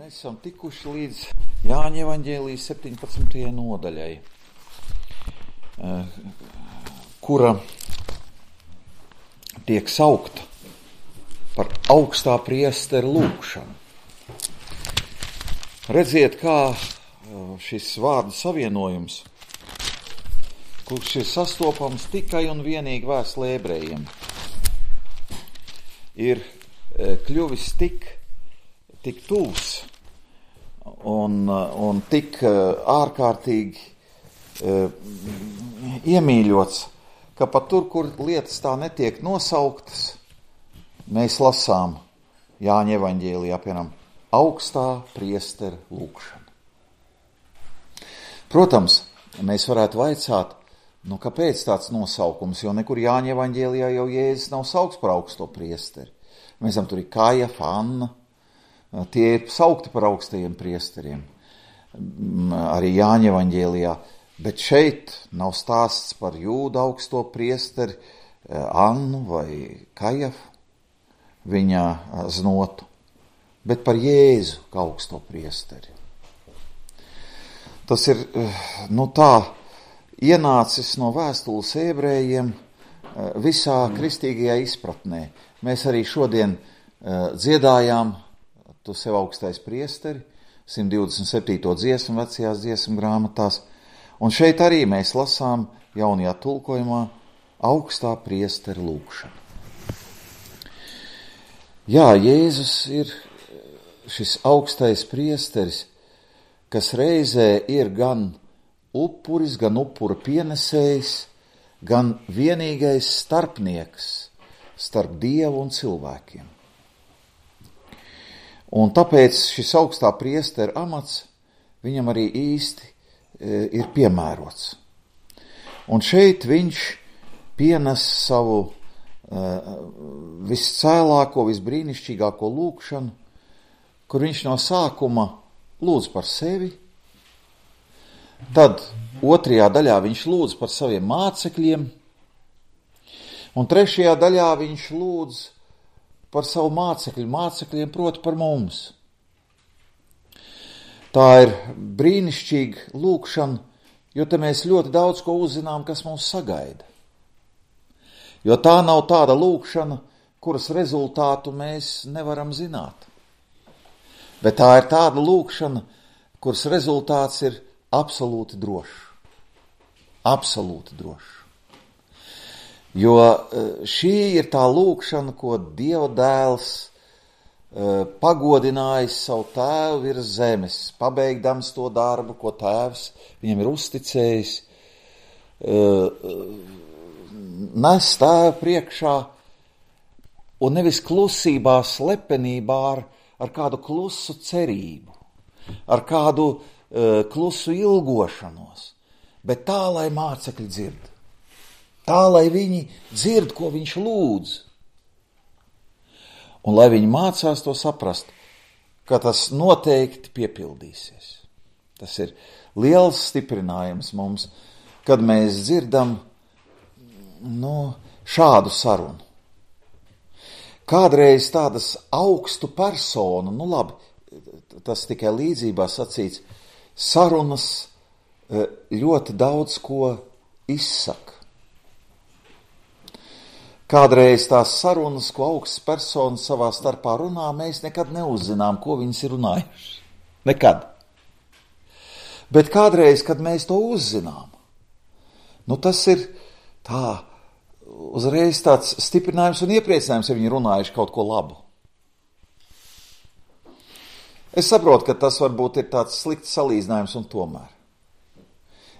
Mēs esam tikuši līdz Jāņa evaņģēlijas 17. nodaļai, kura tiek saukta par augstā priestera lūgšanu. Redziet, kā šis vārdu savienojums, kurš ir sastopams tikai un vienīgi vēstulē ebrejiem, ir kļuvis tik tuvs un tik ārkārtīgi iemīļots, ka pat tur, kur lietas tā netiek nosauktas, mēs lasām Jāņa evaņģēlijā, piemēram, augstā priestera lūgšana. Protams, mēs varētu vaicāt, kāpēc tāds nosaukums, jo nekur Jāņa evaņģēlijā jau Jēzus nav saukts par augsto priesteri. Mēs zinām, tur ir Kajafa, Anna, tie ir saukti par augstajiem priesteriem, arī Jāņa evaņģēlijā, bet šeit nav stāsts par Jūdu augsto priesteri, Annu vai Kajafu, viņa znotu, bet par Jēzu kā augsto priesteri. Tas ir, tā ienācis no vēstules ebrejiem visā kristīgajā izpratnē. Mēs arī šodien dziedājām Tu sev augstais priesteri, 127. dziesmu vecajās dziesmu grāmatās, un šeit arī mēs lasām jaunajā tulkojumā augstā priestera lūgšanu. Jā, Jēzus ir šis augstais priesteris, kas reizē ir gan upuris, gan upura pienesējs, gan vienīgais starpnieks starp Dievu un cilvēkiem. Un tāpēc šis augstā priestera amats viņam arī īsti ir piemērots. Un šeit viņš pienes savu viscēlāko, visbrīnišķīgāko lūgšanu, kur viņš no sākuma lūdz par sevi, tad otrajā daļā viņš lūdz par saviem mācekļiem, un trešajā daļā viņš lūdz par savu mācekļiem, proti par mums. Tā ir brīnišķīga lūgšana, jo te mēs ļoti daudz ko uzzinām, kas mūs sagaida. Jo tā nav tāda lūgšana, kuras rezultātu mēs nevaram zināt. Bet tā ir tāda lūgšana, kuras rezultāts ir absolūti drošs. Absolūti drošs. Jo šī ir tā lūgšana, ko Dieva dēls pagodinājis savu tēvu virs zemes, pabeigdams to darbu, ko tēvs viņam ir uzticējis, nes tēvu priekšā un nevis klusībā, slepenībā ar kādu klusu cerību, ar kādu klusu ilgošanos, bet tā, lai mācekļi dzird. Tā, lai viņi dzird, ko viņš lūdz. Un lai viņi mācās to saprast, ka tas noteikti piepildīsies. Tas ir liels stiprinājums mums, kad mēs dzirdam šādu sarunu. Kādreiz tādas augstu personu, labi, tas tikai līdzībā sacīts, sarunas ļoti daudz ko izsaka. Kādreiz tās sarunas, ko augstas personas savā starpā runā, mēs nekad neuzzinām, ko viņas ir runājuši. Nekad. Bet kādreiz, kad mēs to uzzinām, tas ir tā uzreiz tāds stiprinājums un iepriecinājums, ja viņi runājuši kaut ko labu. Es saprotu, ka tas varbūt ir tāds slikts salīdzinājums un tomēr.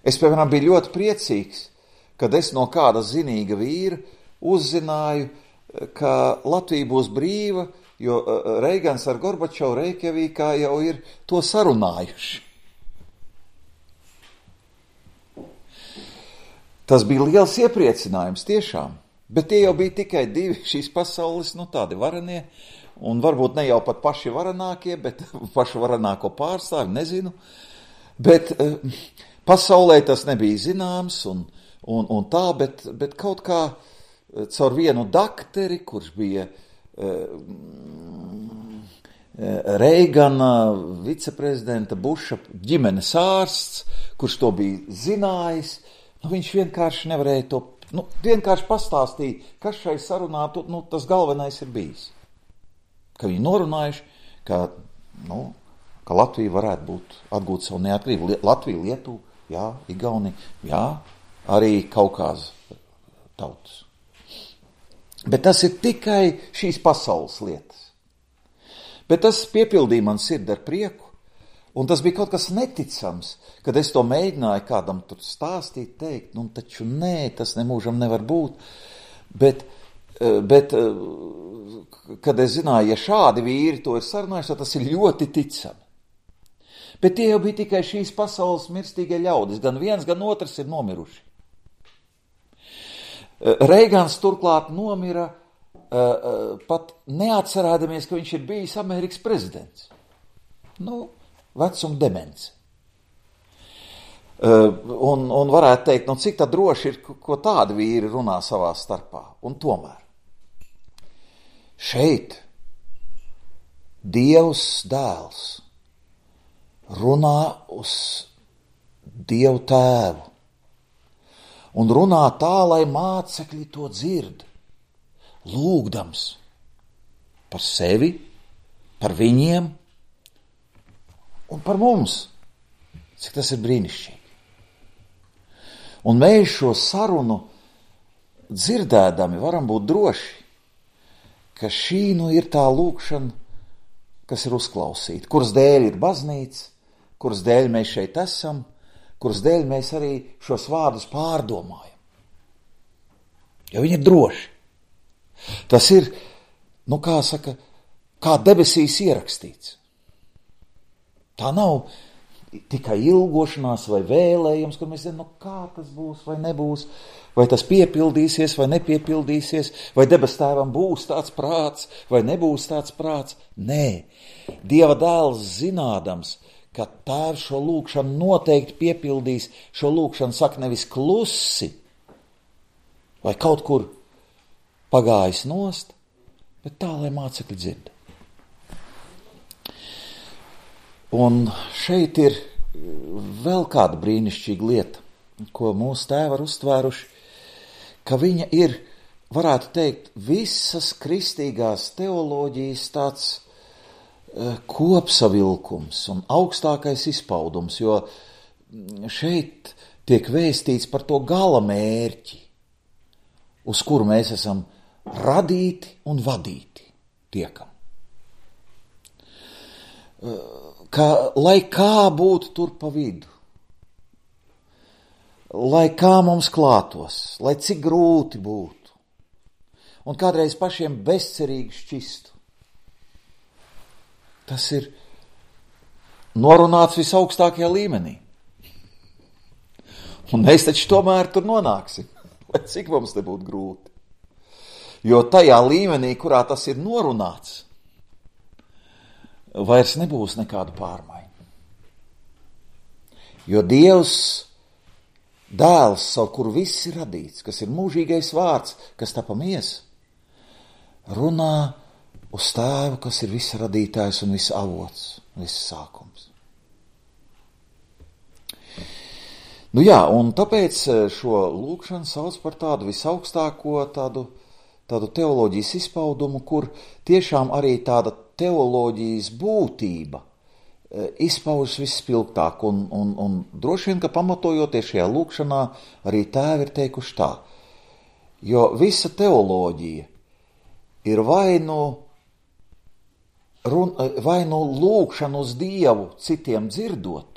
Es, piemēram, biju ļoti priecīgs, kad es no kāda zinīga vīra uzzināju, ka Latvija būs brīva, jo Reigans ar Gorbačovu Reikjavīkā jau ir to sarunājuši. Tas bija liels iepriecinājums tiešām, bet tie jau bija tikai divi šīs pasaules, tādi varenie, un varbūt ne jau pat paši varenākie, bet pašu varenāko pārstāvi, nezinu, bet pasaulē tas nebija zināms un tā, bet kaut kā caur vienu dakteri, kurš bija Reigana, viceprezidenta Buša ģimenes ārsts, kurš to bija zinājis, viņš vienkārši nevarēja to, vienkārši pastāstīja, kas šai sarunā, tas galvenais ir bijis. Ka viņi norunājuši, ka Latvija varētu atgūt savu neatkarību. Latvija, Lietuva, jā, Igaunija, jā, arī Kaukāza tautas. Bet tas ir tikai šīs pasaules lietas. Bet tas piepildīja man sirdi ar prieku, un tas bija kaut kas neticams, kad es to mēģināju kādam tur stāstīt, teikt, taču nē, tas nemūžam nevar būt. Bet kad es zināju, ja šādi vīri to ir sarunājuši, tad tas ir ļoti ticami. Bet tie jau bija tikai šīs pasaules mirstīgie ļaudis, gan viens, gan otrs ir nomiruši. Reigans turklāt nomira pat neatcerēdamies, ka viņš ir bijis Amerikas prezidents. Vecuma demence. Un varētu teikt, cik tā droši ir, ko tādi vīri runā savā starpā. Un tomēr šeit Dievs dēls runā uz Dievu tēvu. Un runā tā, lai mācekļi to dzird, lūgdams par sevi, par viņiem un par mums. Cik tas ir brīnišķīgi. Un mēs šo sarunu dzirdēdami varam būt droši, ka šī ir tā lūgšana, kas ir uzklausīta, kuras dēļ ir baznīca, kuras dēļ mēs šeit esam, kuras dēļ mēs arī šos vārdus pārdomājam. Jo viņi ir droši. Tas ir, kā debesīs ierakstīts. Tā nav tikai ilgošanās vai vēlējums, kur mēs zinām, kā tas būs vai nebūs, vai tas piepildīsies vai nepiepildīsies, vai debes tēvam būs tāds prāts vai nebūs tāds prāts. Nē, Dieva dēls zinādams, ka tēvs šo lūgšanu noteikti piepildīs, šo lūgšanu saka nevis klusi vai kaut kur pagājis nost, bet tā, lai mācekļi dzird. Un šeit ir vēl kāda brīnišķīga lieta, ko mūsu tēvi ir uztvēruši, ka viņa ir, varētu teikt, visas kristīgās teoloģijas tāds kopsavilkums un augstākais izpaudums, jo šeit tiek vēstīts par to gala mērķi, uz kuru mēs esam radīti un vadīti tiekam. Lai kā būtu tur pa vidu, lai kā mums klātos, lai cik grūti būtu, un kādreiz pašiem bezcerīgi šķistu, tas ir norunāts visaugstākajā līmenī. Un mēs taču tomēr tur nonāksim, lai cik mums te būtu grūti. Jo tajā līmenī, kurā tas ir norunāts, vairs nebūs nekāda pārmaiņa. Jo Dievs, dēls, savu kuru viss ir radīts, kas ir mūžīgais vārds, kas tapa miesa, runā uz tēvu, kas ir visa radītājs un visa avots, visa sākums. Un tāpēc šo lūgšanu sauc par tādu visaugstāko tādu teoloģijas izpaudumu, kur tiešām arī tāda teoloģijas būtība izpaužas visspilgtāk. Un droši vien, ka pamatojoties šajā lūgšanā, arī tēvi ir teikuši tā. Jo visa teoloģija ir vai nu lūgšana uz Dievu citiem dzirdot,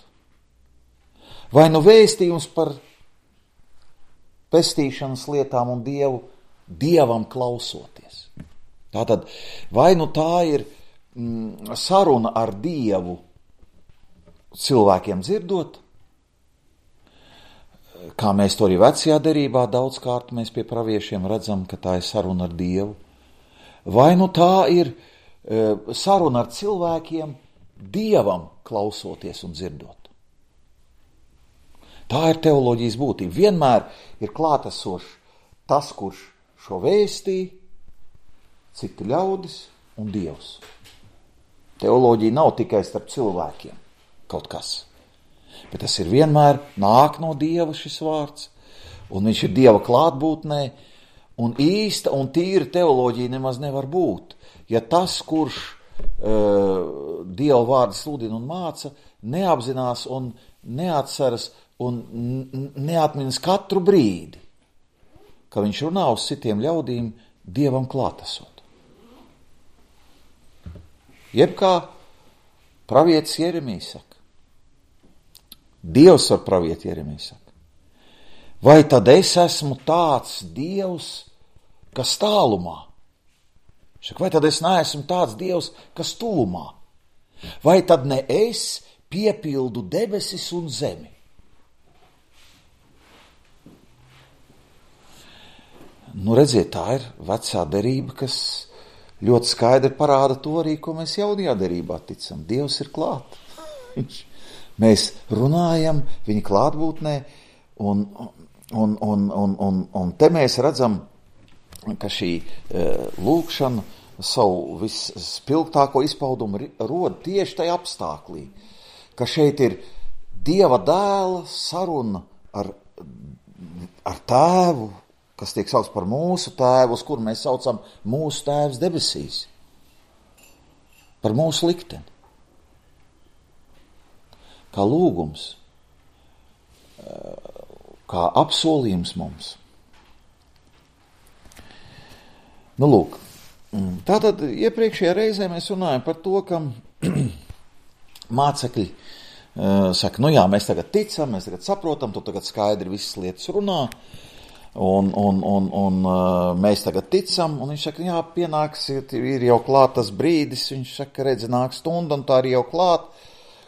vai nu vēstījums par pestīšanas lietām un Dievam klausoties. Tātad, vai nu tā ir saruna ar Dievu cilvēkiem dzirdot, kā mēs to arī vecajā derībā daudzkārt mēs pie praviešiem redzam, ka tā ir saruna ar Dievu, vai nu tā ir saruna ar cilvēkiem Dievam klausoties un dzirdot. Tā ir teoloģijas būtība. Vienmēr ir klātesošs tas, kurš šo vēstī, citi ļaudis un Dievs. Teoloģija nav tikai starp cilvēkiem kaut kas, bet tas ir vienmēr nāk no Dieva šis vārds, un viņš ir Dieva klātbūtnē, un īsta un tīra teoloģija nemaz nevar būt, ja tas, kurš Dieva vārdu sludina un māca, neapzinās un neatceras un neatminas katru brīdi, ka viņš runā uz citiem ļaudīm Dievam klātesot. Jeb kā pravietis Jeremijs saka, Dievs ar pravieti Jeremijs saka, vai tad es esmu tāds Dievs, kas tālumā? Vai tad es neesmu tāds Dievs, kas tuvumā? Vai tad ne es piepildu debesis un zemi? Nu, redziet, tā ir vecā derība, kas ļoti skaidri parāda to arī, ko mēs jaunajā derībā ticam. Dievs ir klāt. Mēs runājam viņa klātbūtnē, un te mēs redzam, ka šī lūkšana savu visspilgtāko izpaudumu rod tieši tajā apstāklī, ka šeit ir Dieva dēla saruna ar tēvu, kas tiek saukts par mūsu tēvu, uz kuru mēs saucam mūsu tēvs debesīs, par mūsu likteni. Kā lūgums, kā apsolījums mums. Nu, lūk, tātad iepriekšējā reizē mēs runājam par to, ka mācekļi saka, nu jā, mēs tagad ticam, mēs tagad saprotam, tu tagad skaidri visas lietas runā, un mēs tagad ticam, un viņš saka, jā, pienāks, ir jau klāt tas brīdis, viņš saka, redzi, nāk stunda, un tā ir jau klāt,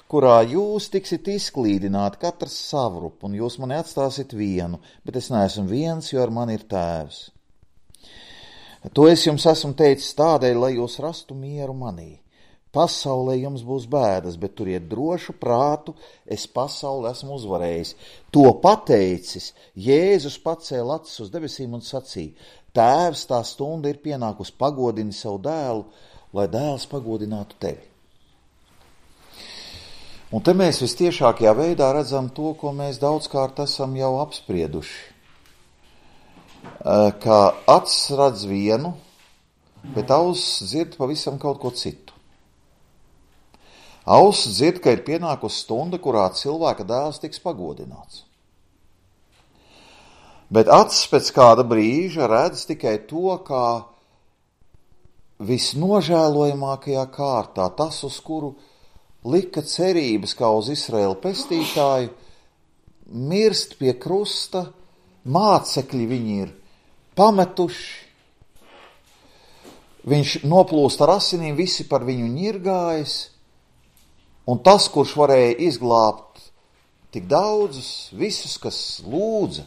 kurā jūs tiksit izklīdināti, katrs savrup, un jūs mani atstāsit vienu, bet es neesmu viens, jo ar mani ir tēvs. To es jums esmu teicis tādēļ, lai jūs rastu mieru manī. Pasaulē jums būs bēdas, bet turiet drošu prātu, es pasauli esmu uzvarējis. To pateicis, Jēzus pacēla acis uz debesīm un sacīja, Tēvs, tā stunda ir pienākusi, pagodini savu dēlu, lai dēls pagodinātu tevi. Un te mēs vistiešākajā veidā redzam to, ko mēs daudzkārt esam jau apsprieduši. Ka acis redz vienu, bet auss dzird pavisam kaut ko citu. Auss dzird, ka ir pienākusi stunda, kurā cilvēka dēls tiks pagodināts. Bet acis pēc kāda brīža redz tikai to, kā visnožēlojamākajā kārtā, tas, uz kuru lika cerības kā uz Izraēla pestītāju, mirst pie krusta, mācekļi viņi ir pametuši, viņš noplūst ar asinīm, visi par viņu ņirgājas, un tas, kurš varēja izglābt tik daudzus, visus, kas lūdza,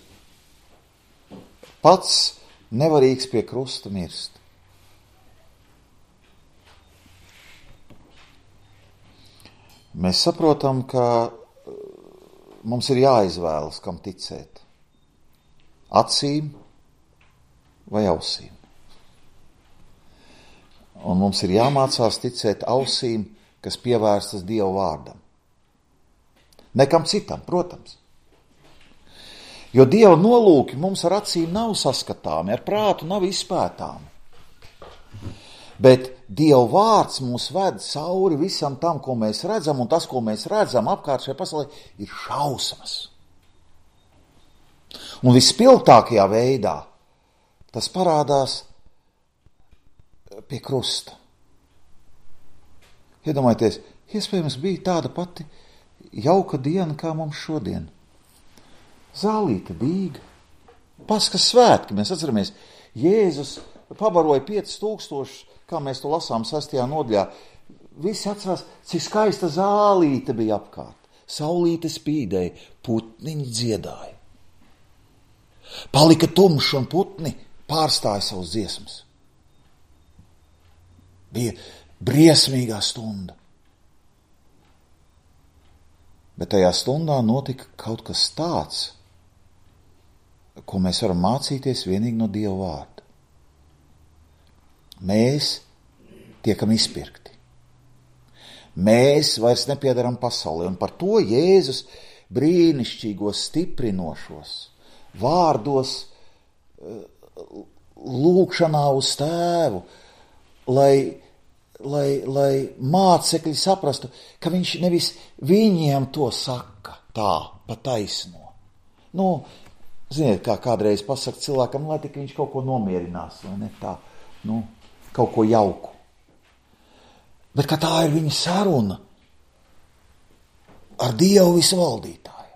pats nevarīgs pie krusta mirst. Mēs saprotam, ka mums ir jāizvēlas, kam ticēt. Acīm vai ausīm. Un mums ir jāmācās ticēt ausīm, kas pievērstas Dieva vārdam. Nekam citam, protams. Jo Dieva nolūki mums ar acīm nav saskatāmi, ar prātu nav izpētāmi. Bet Dieva vārds mūs ved cauri visam tam, ko mēs redzam, un tas, ko mēs redzam apkārt šajā pasaulē, ir šausmas. Un vispilgtākajā veidā tas parādās pie krusta. Iedomājieties, iespējams bija tāda pati jauka diena, kā mums šodien. Zālīte dīga, Paskas svētki, mēs atceramies, Jēzus pabaroja 5000, kā mēs to lasām 6. nodaļā. Visi atcerās, cik skaista zālīte bija apkārt. Saulīte spīdēja, putniņi dziedāja. Palika tumšs un putni pārstāja savus dziesmas. Bija briesmīgā stunda. Bet tajā stundā notika kaut kas tāds, ko mēs varam mācīties vienīgi no Dieva vārda. Mēs tiekam izpirkti. Mēs vairs nepiedaram pasaulē, un par to Jēzus brīnišķīgos, stiprinošos vārdos lūgšanā uz Tēvu, lai mācekļi saprastu, ka viņš nevis viņiem to saka tā, pa taisno. Ziniet, kā kādreiz pasaka cilvēkam, lai tik viņš kaut ko nomierinās, vai ne tā, kaut ko jauku. Bet ka tā ir viņa saruna ar Dievu visvaldītāju.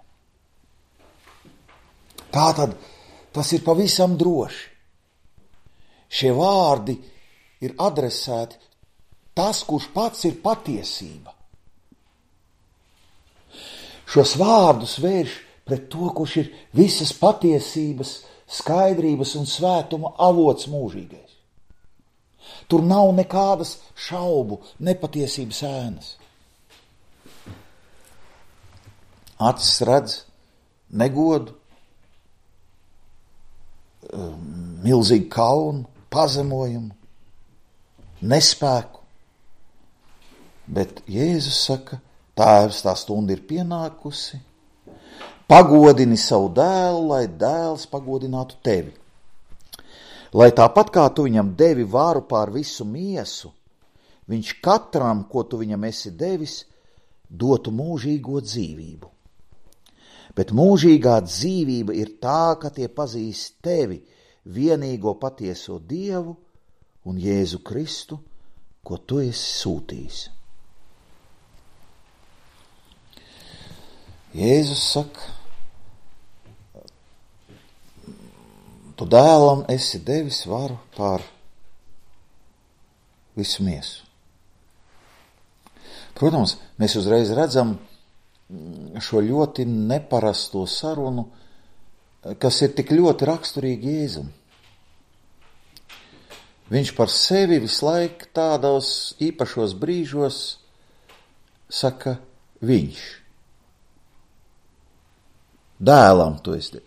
Tātad tas ir pavisam droši. Šie vārdi ir adresēti tas, kurš pats ir patiesība. Šos vārdus vērš pret to, kurš ir visas patiesības, skaidrības un svētuma avots mūžīgais. Tur nav nekādas šaubu, nepatiesības ēnas. Acis redz negodu, milzīgu kaunu, pazemojumu, nespēku. Bet Jēzus saka, Tēvs, tā stunda ir pienākusi, pagodini savu dēlu, lai dēls pagodinātu tevi. Lai tāpat kā tu viņam devi varu pār visu miesu, viņš katram, ko tu viņam esi devis, dotu mūžīgo dzīvību. Bet mūžīgā dzīvība ir tā, ka tie pazīst tevi, vienīgo patieso Dievu un Jēzu Kristu, ko tu esi sūtījis. Jēzus saka, tu dēlam esi devis varu pār visu miesu. Protams, mēs uzreiz redzam šo ļoti neparasto sarunu, kas ir tik ļoti raksturīgi Jēzum. Viņš par sevi visu laiku tādos īpašos brīžos saka viņš. Dēlam tu esi.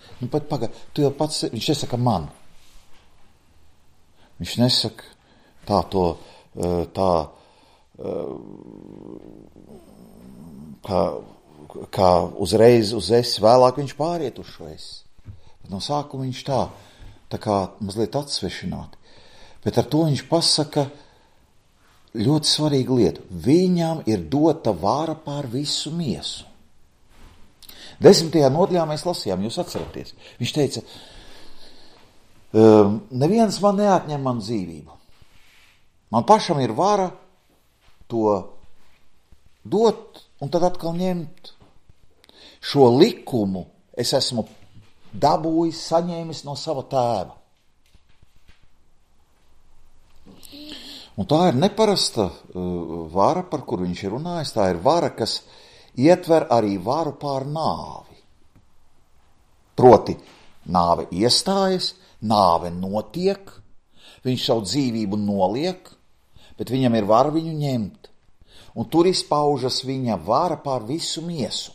Tu jau pats, viņš nesaka man. Viņš nesaka kā uzreiz uz es, vēlāk viņš pāriet uz šo es. Bet no sākuma viņš tā kā mazliet atsvešināti. Bet ar to viņš pasaka ļoti svarīgu lietu. Viņam ir dota vara pār visu miesu. 10. nodaļā mēs lasījām, jūs atceraties. Viņš teica, neviens man neatņem man dzīvību. Man pašam ir vara to dot un tad atkal ņemt. Šo likumu es esmu dabūjis, saņēmis no sava tēva. Un tā ir neparasta vara, par kuru viņš ir runājis. Tā ir vara, kas ietver arī varu pār nāvi. Proti, nāve iestājas, nāve notiek, viņš savu dzīvību noliek, bet viņam ir vara viņu ņemt. Un tur izpaužas viņa vara pār visu miesu.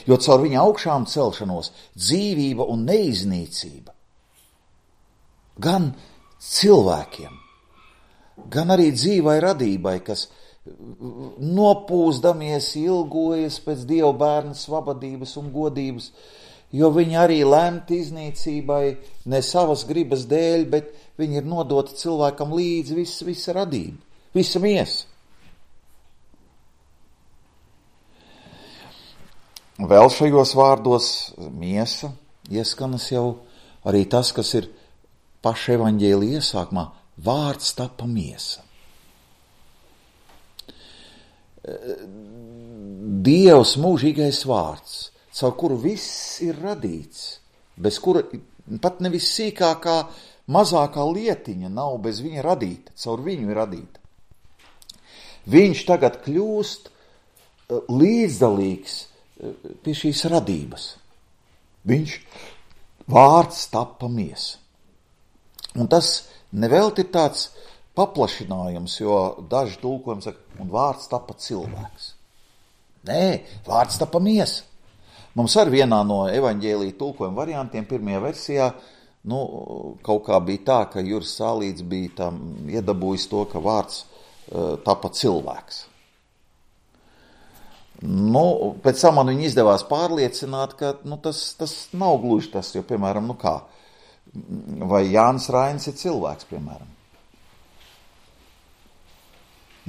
Jo caur viņa augšām celšanos dzīvība un neiznīcība gan cilvēkiem, gan arī dzīvai radībai, kas nopūsdamies, ilgojas pēc Dieva bērna svabadības un godības, jo viņi arī lemti iznīcībai ne savas gribas dēļ, bet viņi ir nodoti cilvēkam līdzi visa radība, visa miesa. Vēl šajos vārdos miesa ieskanas jau arī tas, kas ir paša evaņģēlija iesākumā, vārds tapa miesa. Dievs mūžīgais vārds, caur kuru viss ir radīts, bez kura pat nevis sīkākā, mazākā lietiņa nav bez viņa radīta, caur viņu ir radīta. Viņš tagad kļūst līdzdalīgs pie šīs radības. Viņš vārds tapa miesa. Un tas nevelti ir tāds paplašinājums, jo daži tulkojumi saka, un vārds tapa cilvēks. Nē, vārds tapa miesa. Mums arī vienā no evaņģēlija tulkojuma variantiem, pirmajā versijā, kaut kā bija tā, ka Juris Sālīts bija tam iedabūjis to, ka vārds tapa cilvēks. Pēc tam man viņu izdevās pārliecināt, ka tas nav gluži tas, jo, piemēram, vai Jānis Rainis ir cilvēks, piemēram.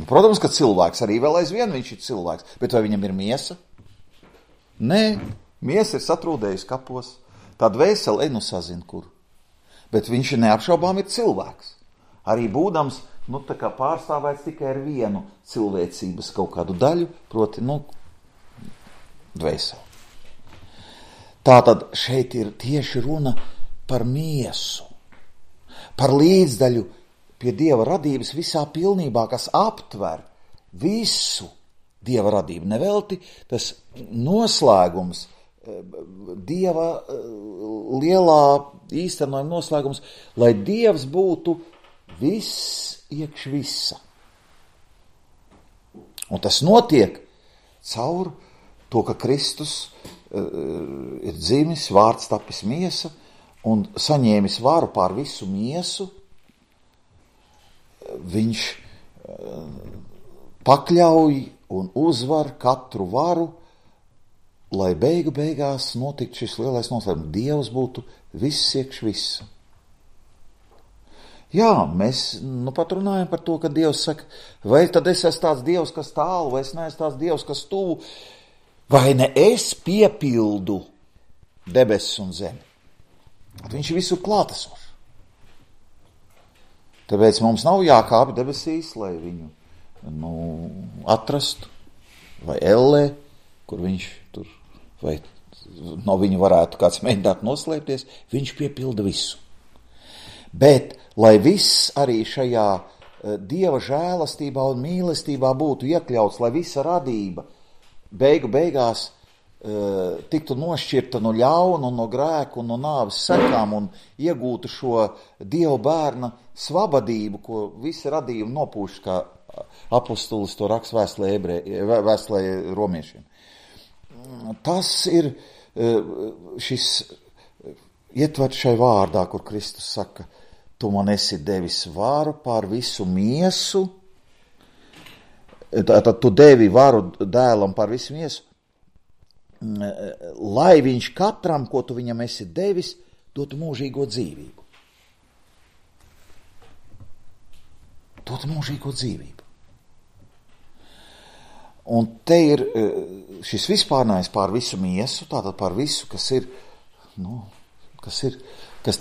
Protams, ka cilvēks arī vēl aizvien viņš ir cilvēks, bet vai viņam ir miesa? Nē, miesa ir satrūdējusi kapos, tā dvēsele sazina kur. Bet viņš neapšaubām ir cilvēks. Arī būdams, tā kā pārstāvēts tikai ar vienu cilvēcības kaut kādu daļu, proti, dvēseli. Tātad šeit ir tieši runa par miesu, par līdzdaļu pie Dieva radības visā pilnībā, kas aptver visu Dieva radību. Nevelti tas noslēgums, Dieva lielā īstenojuma noslēgums, lai Dievs būtu viss iekš visa. Un tas notiek caur to, ka Kristus ir dzimis, vārds tapis miesa un saņēmis varu pār visu miesu. Viņš pakļauj un uzvar katru varu, lai beigās notiktu šis lielais noslēgums. Dievs būtu viss iekš visa. Jā, mēs pat runājam par to, ka Dievs saka, vai tad es esmu tāds Dievs, kas tālu, vai es neesmu tāds Dievs, kas tuvu, vai ne es piepildu debesis un zemi. Viņš ir visur klātesošs. Tāpēc mums nav jākāpj debesīs, lai viņu atrastu, vai ellē, kur viņš tur, vai no viņa varētu kāds mēģināt noslēpties, viņš piepilda visu. Bet, lai viss arī šajā Dieva žēlastībā un mīlestībā būtu iekļauts, lai visa radība beigās tiktu nošķirta no ļauna un no grēku un no nāves sekām un iegūtu šo Dieva bērna svabadību, ko visi radījumi nopūš, kā apostolis to raksta vēstulē romiešiem. Tas ir šis ietverts šai vārdā, kur Kristus saka, tu man esi devis varu pār visu miesu, tad tu devi varu dēlam pār visu miesu, lai viņš katram, ko tu viņam esi devis, dotu mūžīgo dzīvību. Dotu mūžīgo dzīvību. Un te ir šis vispārnājs pār visu miesu, tātad pār visu, kas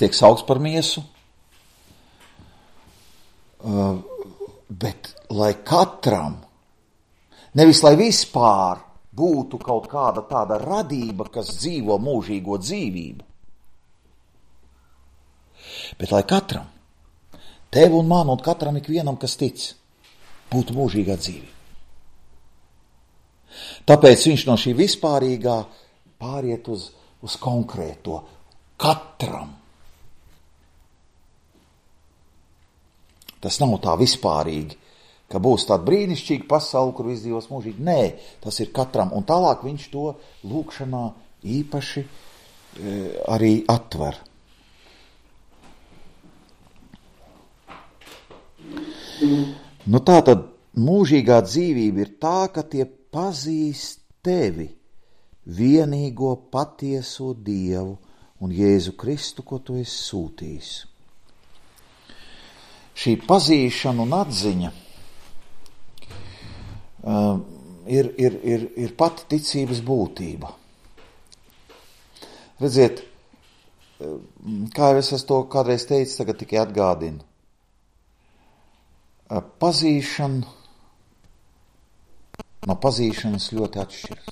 tiek saukts par miesu, bet lai katram, nevis lai vispār būtu kaut kāda tāda radība, kas dzīvo mūžīgo dzīvību, bet lai katram, tev un man un katram ikvienam, kas tic, būtu mūžīgā dzīvība. Tāpēc viņš no šī vispārīgā pāriet uz konkrēto katram. Tas nav tā vispārīgi, ka būs tāda brīnišķīga pasaule, kur viss dzīvos mūžīgi. Nē, tas ir katram. Un tālāk viņš to lūkšanā īpaši arī atver. Tātad mūžīgā dzīvība ir tā, ka tie pazīst tevi, vienīgo patieso Dievu un Jēzu Kristu, ko tu esi sūtījis. Šī pazīšana un atziņa ir pati ticības būtība. Redziet, kā jau es to kādreiz teicu, tagad tikai atgādinu. Pazīšana no pazīšanas ļoti atšķiras.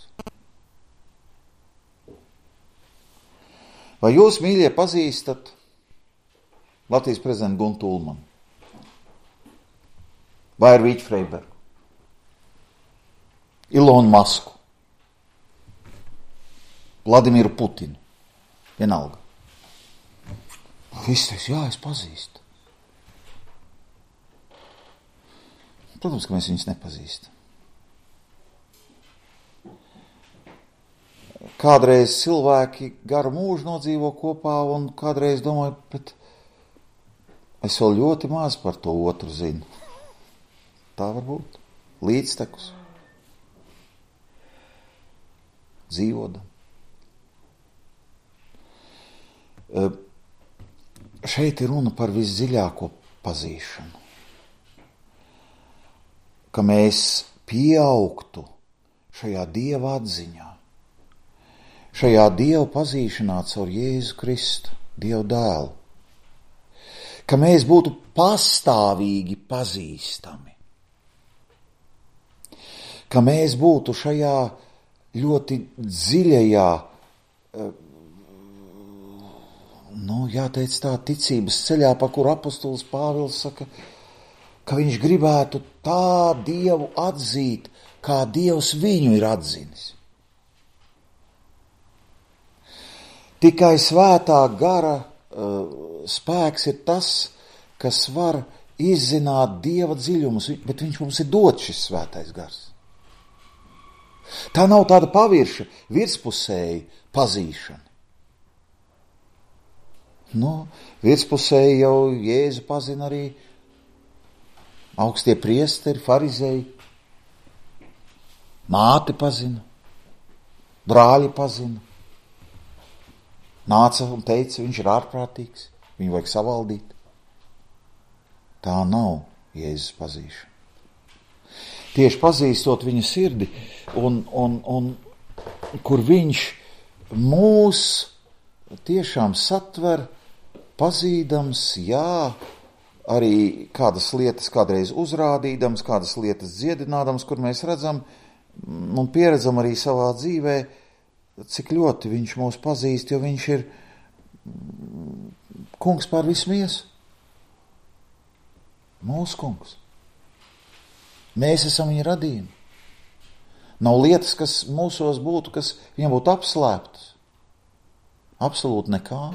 Vai jūs, mīļie, pazīstat Latvijas prezidentu Guntu Ulmanu? Vai Arvīķu Freibergu? Ilonu Masku? Vladimiru Putinu? Vienalga. Viss teiks, jā, es pazīstu. Protams, ka mēs viņus nepazīstam. Kādreiz cilvēki garu mūžu nodzīvo kopā un kādreiz domāju, bet es vēl ļoti maz par to otru zinu. Tā var būt. Līdztekus. dzīvodam. Šeit ir runa par visdziļāko pazīšanu. Ka mēs pieaugtu šajā Dieva atziņā, šajā Dieva pazīšanā caur Jēzu Kristu, Dieva dēlu. Ka mēs būtu pastāvīgi pazīstami. Ka mēs būtu šajā ļoti dziļajā, jāteic tā, ticības ceļā, pa kuru apostols Pāvils saka, ka viņš gribētu tā Dievu atzīt, kā Dievs viņu ir atzinis. Tikai svētā gara spēks ir tas, kas var izzināt Dieva dziļumus, bet viņš mums ir dots šis svētais gars. Tā nav tāda pavirša, virspusēja pazīšana. Virspusēji jau Jēzu pazina arī augstie priesteri, farizēji, māte pazina, brāļi pazina. Nāca un teica, viņš ir ārprātīgs, viņu vajag savaldīt. Tā nav Jēzus pazīšana. Tieši pazīstot viņa sirdi un kur viņš mūs tiešām satver, pazīdams, arī kādas lietas kādreiz uzrādīdams, kādas lietas dziedinādams, kur mēs redzam un pieredzam arī savā dzīvē, cik ļoti viņš mūs pazīst, jo viņš ir kungs pār visu miesu. Mūsu kungs. Mēs esam viņa radījumi. Nav lietas, kas mūsos būtu, kas viņam būtu apslēptas. Absolūti nekā.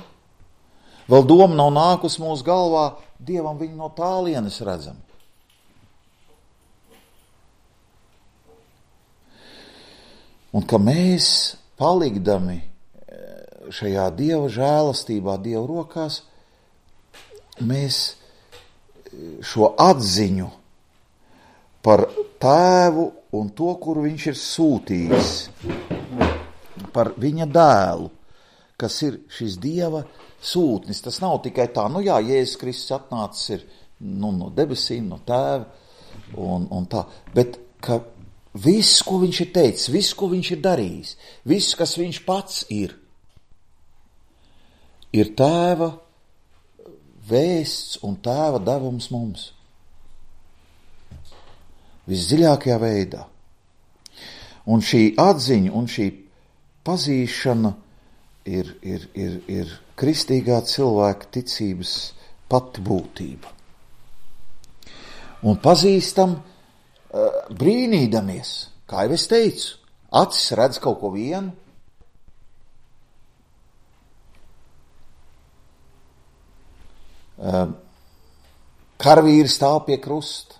Vēl doma nav nākus mūsu galvā, Dievam viņu no tālienes redzam. Un ka mēs, palikdami šajā Dieva žēlastībā, Dieva rokās, mēs šo atziņu par tēvu un to, kuru viņš ir sūtījis, par viņa dēlu, kas ir šis Dieva sūtnis. Tas nav tikai tā, Jēzus Kristus atnācis ir no debesīm, no tēva un tā, bet ka viss, ko viņš ir teicis, viss, ko viņš ir darījis, viss, kas viņš pats ir tēva vēsts un tēva devums mums. Visdziļākajā veidā. Un šī atziņa un šī pazīšana ir kristīgā cilvēka ticības pati būtība. Un pazīstam brīnīdamies, kā jau es teicu, acis redz kaut ko vienu, karavīri stāv pie krusta,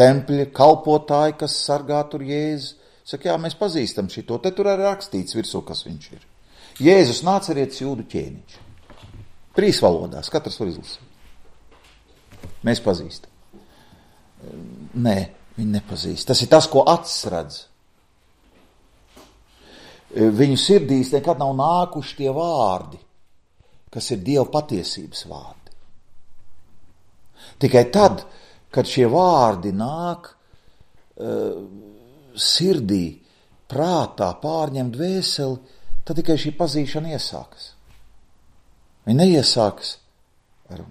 tempļa kalpotāji, kas sargā tur Jēzu, saka, mēs pazīstam šito, te tur arī rakstīts virsū, kas viņš ir. Jēzus Nācerietis jūdu ķēniņš. 3 valodās, katrs var izlasīt. Mēs pazīstam. Nē, viņi nepazīst. Tas ir tas, ko acis redz. Viņu sirdīs nekad nav nākuši tie vārdi, kas ir Dieva patiesības vārdi. Tikai tad, kad šie vārdi nāk sirdī, prātā, pārņem dvēseli, tad tikai šī pazīšana iesākas. Viņa neiesākas ar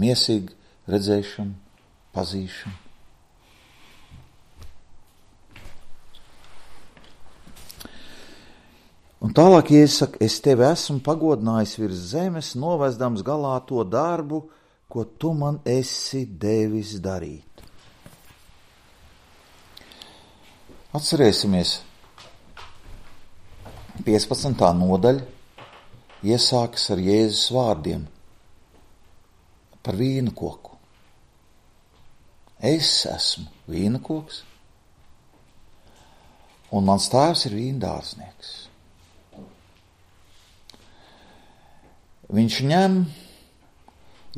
miesīgu redzēšanu, pazīšanu. Un tālāk Jēzus saka, es tevi esmu pagodinājis virs zemes, novezdams galā to darbu, ko tu man esi devis darīt. Atcerēsimies, 15. nodaļa iesākas ar Jēzus vārdiem par vīna koku. Es esmu vīna koks, un mans tēvs ir vīna dārznieks. Viņš ņem,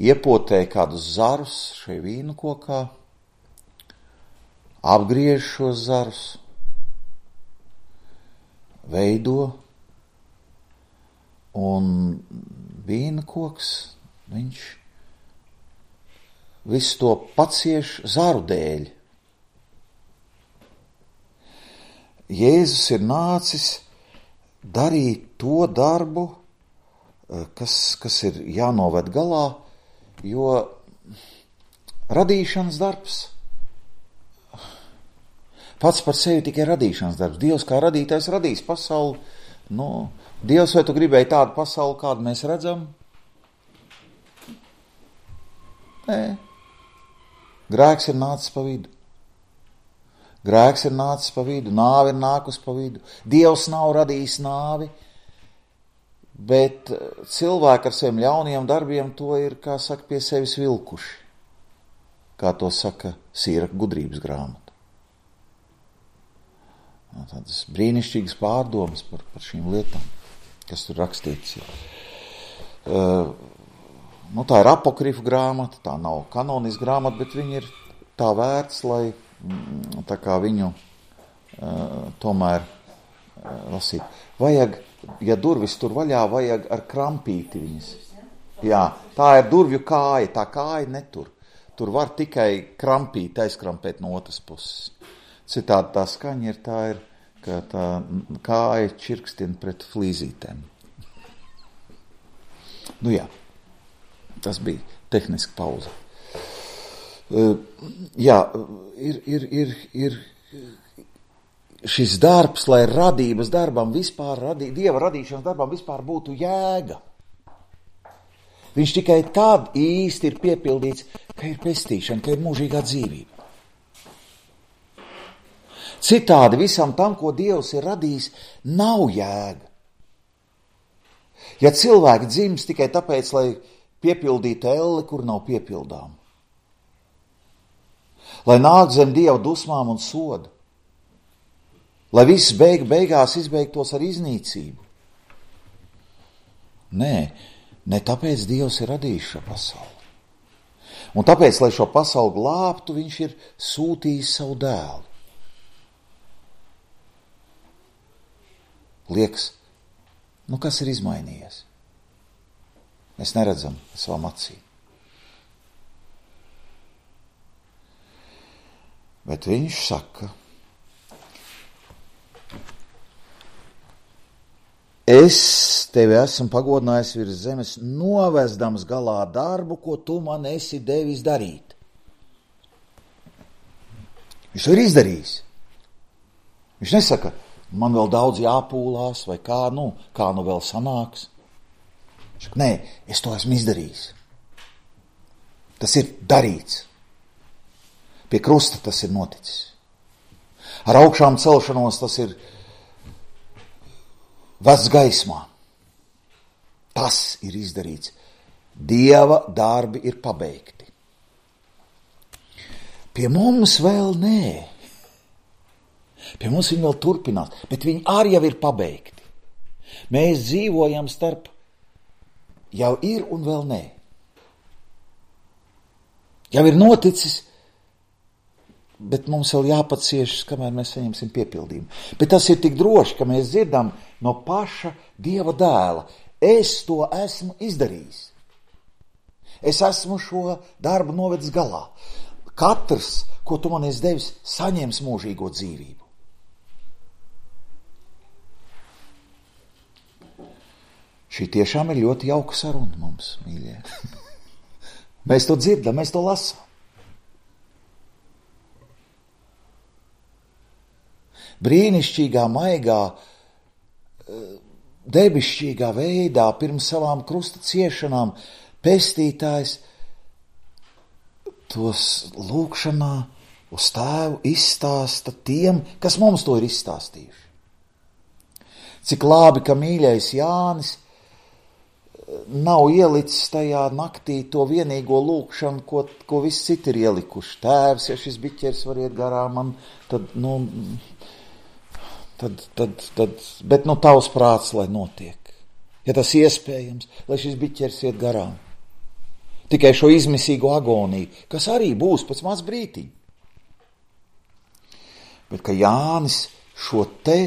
iepotē kādus zarus šai vīnu kokā, apgriež šos zarus, veido, un vīna koks, viņš visu to pacieš zaru dēļ. Jēzus ir nācis darīt to darbu, kas ir jānoved galā, jo radīšanas darbs pats par sevi tikai radīšanas darbs. Dievs kā radītājs radīs pasauli. Dievs, vai tu gribēji tādu pasauli, kādu mēs redzam? Nē. Grēks ir nācis pa vidu. Grēks ir nācis pa vidu, nāve ir nākus pa vidu. Dievs nav radījis nāvi, bet cilvēki ar saviem ļauniem darbiem to ir, kā saka, pie sevis vilkuši. Kā to saka Sīraka gudrības grāmata. Tādas brīnišķīgas pārdomas par šīm lietām, kas tur rakstīts. Tā ir apokrifu grāmata, tā nav kanoniska grāmata, bet viņa ir tā vērts, lai tā kā viņu tomēr lasīt. Vajag, ja durvis tur vaļā, vajag ar krampīti viņas. Jā, tā ir durvju kāja, tā kāja netur. Tur var tikai krampīt, aizkrampēt no otras puses. Citādi tā skaņa ir, ka tā kāja čirkstina pret flīzītēm. Jā, tas bija tehniski pauze. Ir šis darbs, lai radības darbam vispār, Dieva radīšanas darbam vispār būtu jēga. Viņš tikai tad īsti ir piepildīts, ka ir pestīšana, ka ir mūžīgā dzīvība. Citādi visam tam, ko Dievs ir radījis, nav jēga. Ja cilvēki dzimst tikai tāpēc, lai piepildītu elli, kur nav piepildām. Lai nāk zem Dieva dusmām un soda. Lai viss beigās izbeigtos ar iznīcību. Ne tāpēc Dievs ir radījis šo pasauli. Un tāpēc, lai šo pasauli glābtu, viņš ir sūtījis savu dēlu. Liekas, kas ir izmainījies? Mēs neredzam savām acīm. Bet viņš saka, es tevi esmu pagodinājis virs zemes, novezdams galā darbu, ko tu man esi devis darīt. Viņš to ir izdarījis. Viņš nesaka, man vēl daudz jāpūlās, vai kā nu vēl sanāks. Viņš saka, nē, es to esmu izdarījis. Tas ir darīts. Pie krusta tas ir noticis. Ar augšām celšanos tas ir vests gaismā. Tas ir izdarīts. Dieva darbi ir pabeigti. Pie mums vēl nē. Pie mums viņi vēl turpinās, bet viņi arī jau ir pabeigti. Mēs dzīvojam starp jau ir un vēl nē. Jau ir noticis, bet mums vēl jāpaciešas, kamēr mēs saņemsim piepildījumu. Bet tas ir tik droši, ka mēs dzirdam no paša Dieva dēla. Es to esmu izdarījis. Es esmu šo darbu novedis galā. Katrs, ko tu man esi devis, saņems mūžīgo dzīvību. Šī tiešām ir ļoti jauka saruna mums, mīļie. Mēs to dzirdam, mēs to lasām. Brīnišķīgā, maigā, debišķīgā veidā pirms savām krusta ciešanām pestītājs tos lūkšanā uz tēvu izstāsta tiem, kas mums to ir izstāstījuši. Cik labi, ka mīļais Jānis nav ielicis tajā naktī to vienīgo lūkšanu, ko visi citi ir ielikuši. Tēvs, ja šis biķers var iet garām man, bet tavs prāts, lai notiek. Ja tas iespējams, lai šis biķers iet garām. Tikai šo izmisīgo agoniju, kas arī būs pēc maz brītiņa. Bet ka Jānis šo te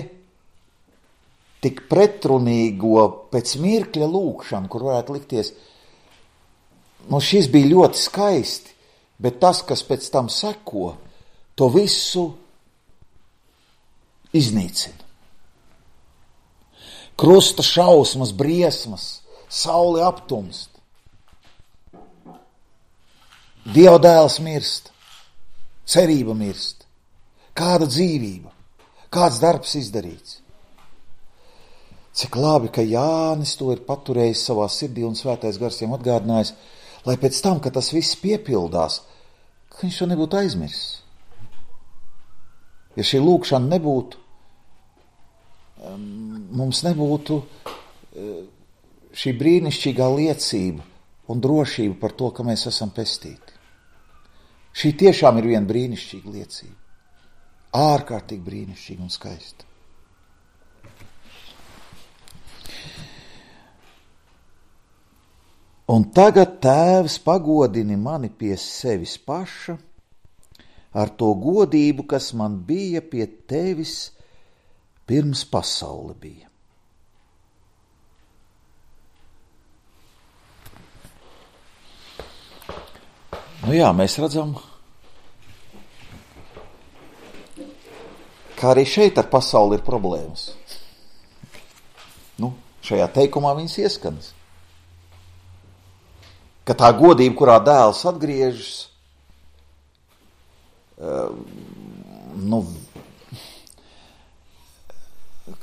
tik pretrunīgo pēc mirkļa lūkšanu, kur varētu likties, šis bija ļoti skaisti, bet tas, kas pēc tam seko, to visu iznīcina. Krusta šausmas, briesmas, saule aptumst. Dieva dēls mirst, cerība mirst, kāda dzīvība, kāds darbs izdarīts. Cik labi, ka Jānis to ir paturējis savā sirdī un svētais gars viņam atgādinājis, lai pēc tam, kad tas viss piepildās, ka viņš to nebūtu aizmirsis. Ja šī lūkšana nebūtu, mums nebūtu šī brīnišķīgā liecība un drošība par to, ka mēs esam pestīti. Šī tiešām ir viena brīnišķīga liecība. Ārkārtīgi brīnišķīga un skaista. Un tagad, Tēvs, pagodini mani pie sevis paša ar to godību, kas man bija pie Tevis pirms pasaule bija. Jā, mēs redzam, ka arī šeit ar pasauli ir problēmas. Šajā teikumā viņas ieskanas. Ka tā godība, kurā dēls atgriežas,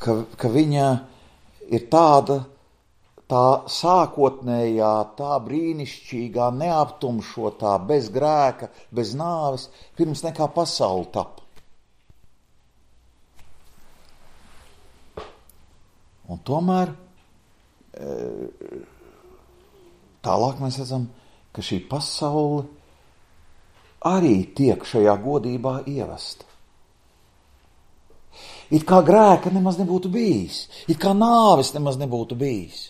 ka viņa ir tāda, tā sākotnējā, tā brīnišķīgā, neaptumšotā, bez grēka, bez nāves, pirms nekā pasaule tapa. Un tomēr tālāk mēs redzam, ka šī pasaule arī tiek šajā godībā ievesta. It kā grēka nemaz nebūtu bijis, it kā nāves nemaz nebūtu bijis.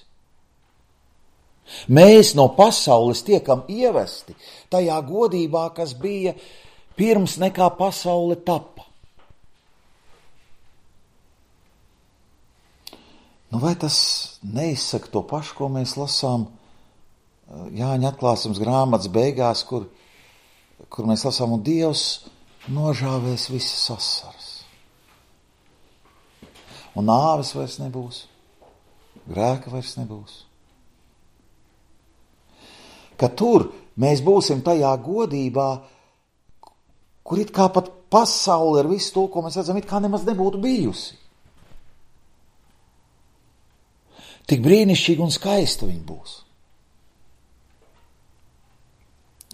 Mēs no pasaules tiekam ievesti tajā godībā, kas bija pirms nekā pasaule tapa. Vai tas neizsaka to pašu, ko mēs lasām Jāņa atklāsmes grāmatas beigās, kur mēs lasām, un Dievs nožāvēs visas asaras. Un nāves vairs nebūs, grēka vairs nebūs. Ka tur mēs būsim tajā godībā, kur it kā pat pasaule ar visu to, ko mēs redzam, it kā nemaz nebūtu bijusi. Tik brīnišķīgi un skaista viņa būs.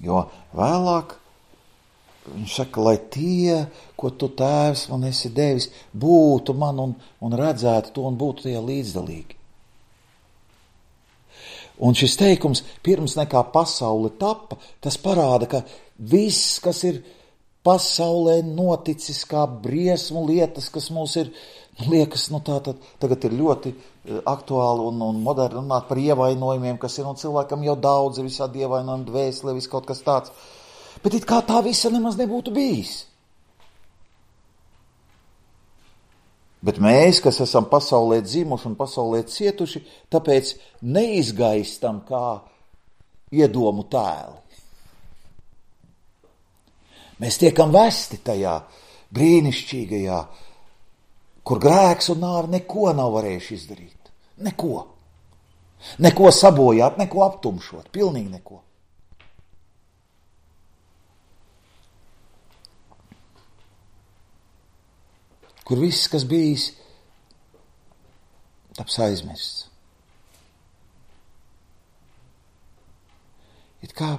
Jo vēlāk viņš saka, lai tie, ko tu Tēvs man esi devis, būtu man un redzētu to un būtu tie līdzdalīgi. Un šis teikums, pirms nekā pasaule tapa, tas parāda, ka viss, kas ir pasaulē noticis, kā briesmu lietas, kas mums ir, liekas, tagad ir ļoti aktuāli un moderni runāt par ievainojumiem, kas ir, un cilvēkam jau daudz ir visādi ievainojumi, dvēseli, viss kaut kas tāds. Bet it kā tā visa nemaz nebūtu bijis. Bet mēs, kas esam pasaulē dzimuši un pasaulē cietuši, tāpēc neizgaistam kā iedomu tēli. Mēs tiekam vesti tajā brīnišķīgajā, kur grēks un nāve neko nav varējuši izdarīt. Neko. Neko sabojāt, neko aptumšot. Pilnīgi neko. Kur viss, kas bijis, taps aizmirsts. It kā,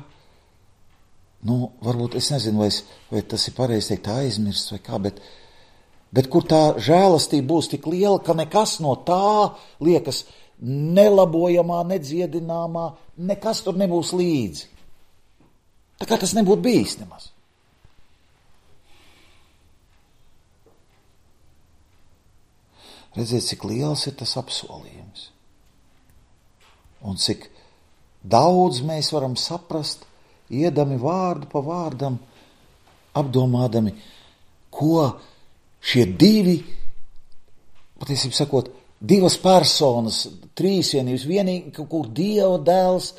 varbūt es nezinu, vai tas ir pareizi teikt aizmirsts vai kā, bet kur tā žēlastība būs tik liela, ka nekas no tā liekas nelabojamā, nedziedināmā, nekas tur nebūs līdzi. Tā kā tas nebūtu bijis nemaz. Redziet, cik liels ir tas apsolījums. Un cik daudz mēs varam saprast, iedami vārdu pa vārdam, apdomādami, ko šie divi, patiesībā sakot, divas personas, trīsvienības, vienīgi, kur Dieva dēls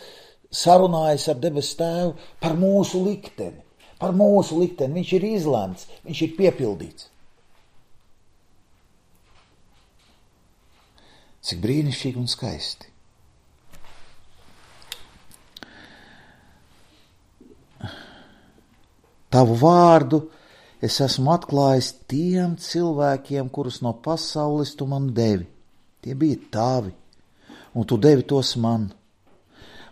sarunājas ar debesu tēvu par mūsu likteni. Par mūsu likteni. Viņš ir izlemts, viņš ir piepildīts. Cik brīnišķīgi un skaisti. Tavu vārdu es esmu atklājis tiem cilvēkiem, kurus no pasaules tu man devi. Tie bija tavi, un tu devi tos man,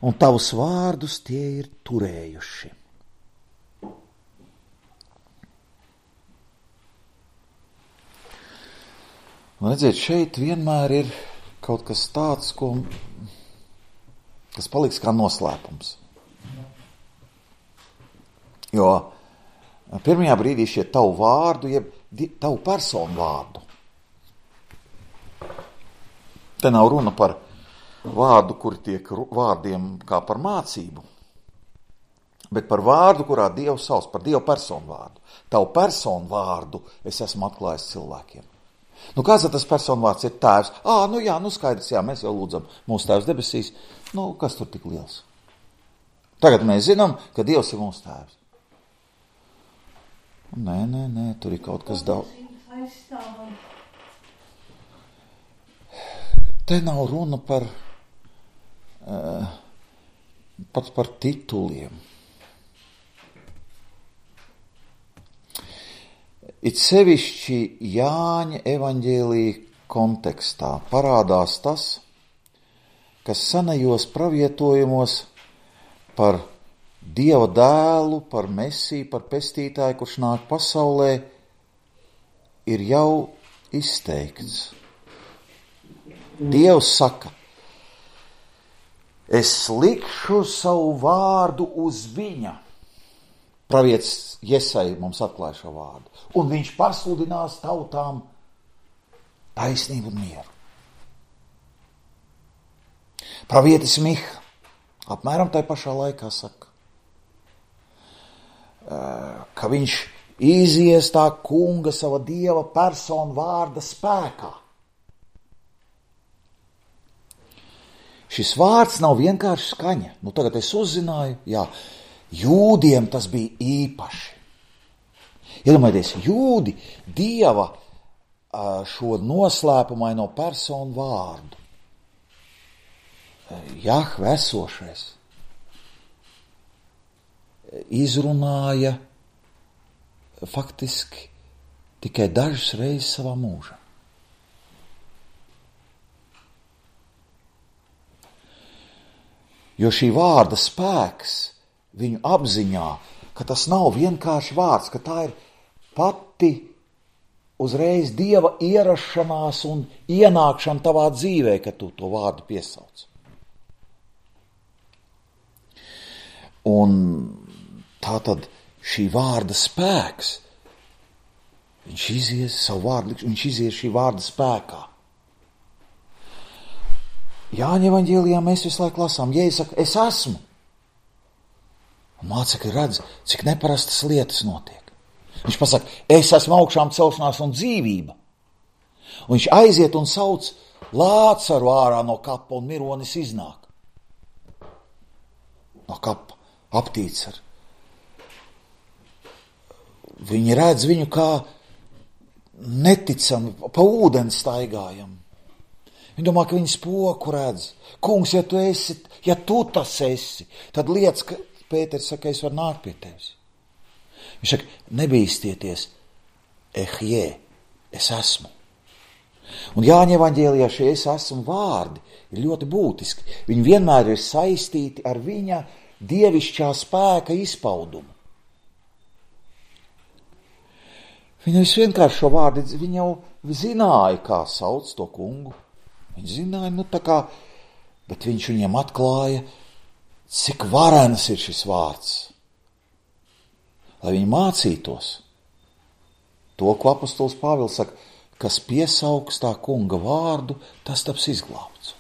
un tavus vārdus tie ir turējuši. Un redziet, šeit vienmēr ir kaut kas tāds, kas paliks kā noslēpums. Jo pirmajā brīdī šie tavu vārdu, jeb tavu personu vārdu. Te nav runa par vārdu, kur tiek vārdiem kā par mācību, bet par vārdu, kurā Dievs sauc, par Dievu personu vārdu. Tavu personu vārdu es esmu atklājis cilvēkiem. Nu, kāds tas personu vārds ir tēvs? Skaidrs, mēs jau lūdzam mūsu tēvs debesīs. Kas tur tik liels? Tagad mēs zinām, ka Dievs ir mūsu tēvs. Nē, tur ir kaut kas daudz. Te nav runa par tituliem. It sevišķi Jāņa evaņģēlija kontekstā parādās tas, kas senajos pravietojumos par Dieva dēlu, par Mesiju, par pestītāju, kurš nāk pasaulē, ir jau izteikts. Dievs saka, es likšu savu vārdu uz viņa. Pravietis Jesai mums atklāja šo vārdu. Un viņš pasludinās tautām taisnību un mieru. Pravietis Miha apmēram tai pašā laikā saka, ka viņš izies tā kunga sava Dieva personu vārda spēkā. Šis vārds nav vienkārši skaņa. Tagad es uzzināju, jūdiem tas bija īpaši. Iedomājieties, jūdi Dieva šo noslēpumaino personu vārdu. Jahve esošais izrunāja faktiski tikai dažas reizes savā mūžā. Jo šī vārda spēks viņu apziņā, ka tas nav vienkārši vārds, ka tā ir pati uzreiz Dieva ierašanās un ienākšana tavā dzīvē, kad tu to vārdu piesauc. Un tātad šī vārda spēks, viņš izies savu vārdu, viņš izies šī vārda spēkā. Jāņa evaņģēlijā mēs visu laiku lasām, Jēzus saka, es esmu. Un mācekļi redz, cik neparastas lietas notiek. Viņš pasaka, es esmu augšām celšanās un dzīvība. Un viņš aiziet un sauc Lācaru ārā no kapa un mironis iznāk. No kapa aptīts ar. Viņi redz viņu kā neticami, pa ūdeni staigājam. Viņi domā, ka viņi spoku redz. Kungs, ja tu tas esi, tad lietas, ka Pēters saka, es varu nākt pie tevis. Viņš saka, nebīstieties, ehjē, es esmu. Un Jāņa evaņģēlijā šie es esmu vārdi ir ļoti būtiski. Viņi vienmēr ir saistīti ar viņa dievišķā spēka izpaudumu. Viņi vienkārši šo vārdu, viņi jau zināja, kā sauc to kungu. Viņi zināja, bet viņš viņiem atklāja, cik varens ir šis vārds. Lai viņi mācītos to, ko apostols Pāvils saka, kas piesaugs tā kunga vārdu, tas taps izglābts.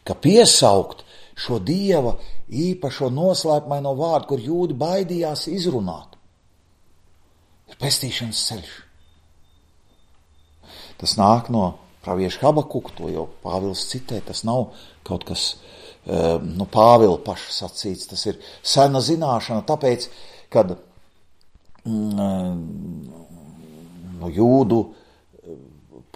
Ka piesaukt šo Dieva īpašo noslēpumaino vārdu, kur jūdi baidījās izrunāt, ir pestīšanas ceļš. Tas nāk no pravieša Habakuka, to jau Pāvils citē, tas nav kaut kas no Pāvila paša sacīts, tas ir sena zināšana, tāpēc, kad jūdu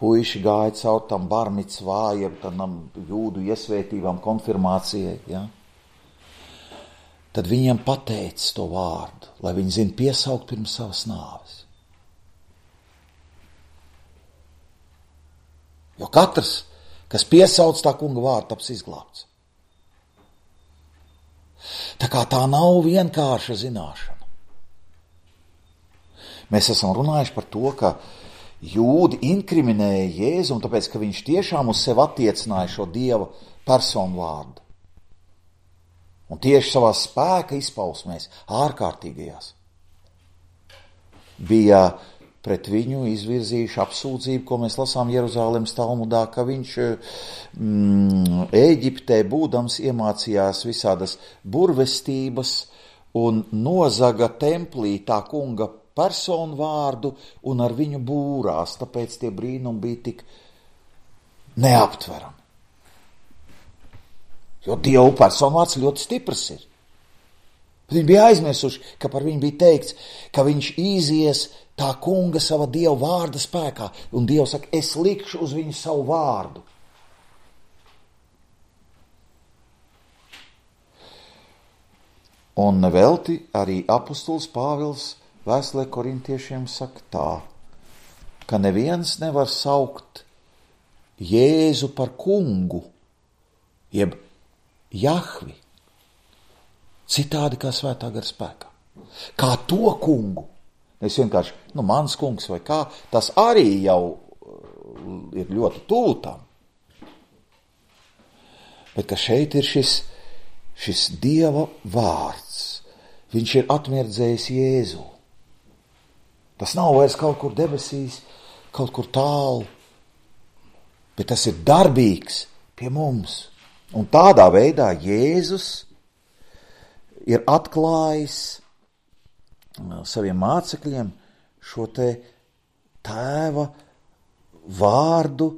puiši gāja caur tam barmicvā, jeb tam jūdu iesvētībām, konfirmācijai, ja? Tad viņiem pateica to vārdu, lai viņi zina piesaukt pirms savas nāves. Jo katrs, kas piesauc tā kunga vārdu, taps izglābts. Tā kā tā nav vienkārša zināšana. Mēs esam runājuši par to, ka jūdi inkriminēja Jēzu, un tāpēc, ka viņš tiešām uz sevi attiecināja šo Dieva personu vārdu. Un tieši savā spēka izpausmēs, ārkārtīgajās, bija pret viņu izvirzījuši apsūdzību, ko mēs lasām Jeruzālemes Talmudā, ka viņš Ēģiptē būdams iemācījās visādas burvestības un nozaga templī tā kunga personu vārdu un ar viņu būrās, tāpēc tie brīnumi bija tik neaptverami. Jo Dievu personu vārds ļoti stiprs ir. Bet viņi bija aizmirsuši, ka par viņu bija teikts, ka viņš izies tā kunga sava Dieva vārda spēkā, un Dievs saka, es likšu uz viņu savu vārdu. Un nevelti arī apustulis Pāvils vēstulē korintiešiem saka tā, ka neviens nevar saukt Jēzu par kungu, jeb Jahvi, citādi kā svētā gara spēkā. Kā to kungu. Es vienkārši, mans kungs vai kā, tas arī jau ir ļoti tūtam. Bet ka šeit ir šis Dieva vārds. Viņš ir atmirdzējis Jēzu. Tas nav vairs kaut kur debesīs, kaut kur tālu, bet tas ir darbīgs pie mums. Un tādā veidā Jēzus ir atklājis saviem mācekļiem šo te tēva vārdu,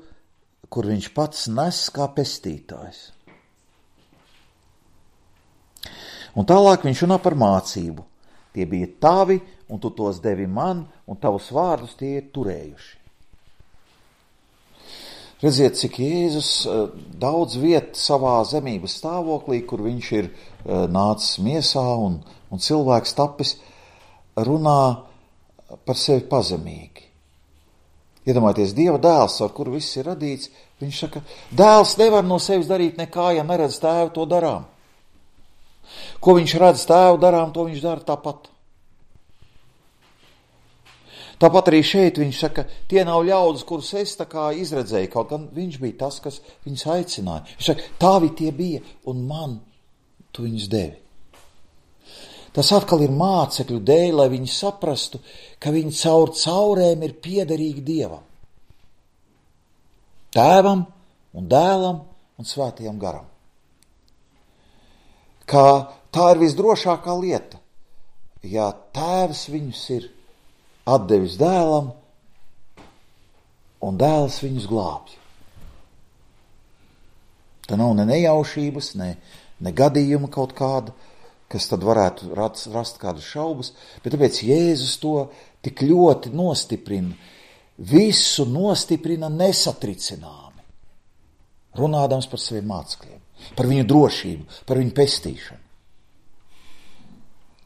kur viņš pats nes kā pestītājs. Un tālāk viņš runā par mācību. Tie bija tavi, un tu tos devi man, un tavus vārdus tie ir turējuši. Redziet, cik Jēzus daudz viet savā zemības stāvoklī, kur viņš ir nācis miesā un cilvēks tapis, runā par sevi pazemīgi. Iedomājieties, Dieva dēls, ar kuru viss ir radīts, viņš saka, dēls nevar no sevis darīt nekā, ja neredz tēvu to darām. Ko viņš redz tēvu darām, to viņš dara tāpat. Tāpat arī šeit viņš saka, tie nav ļaudis, kurus es tā kā izredzēju, kaut gan viņš bija tas, kas viņus aicināja. Viņš saka, tavi tie bija, un man tu viņus devi. Tas atkal ir mācekļu dēļ, lai viņi saprastu, ka viņi caur caurēm ir piederīgi Dievam. Tēvam un dēlam un svētajam garam. Kā tā ir visdrošākā lieta, ja tēvs viņus ir atdevis dēlam, un dēls viņus glābj. Tā nav ne nejaušības, ne gadījuma kaut kāda, kas tad varētu rast kādas šaubas, bet tāpēc Jēzus to tik ļoti nostiprina, visu nostiprina nesatricināmi, runādams par saviem mācekļiem, par viņu drošību, par viņu pestīšanu,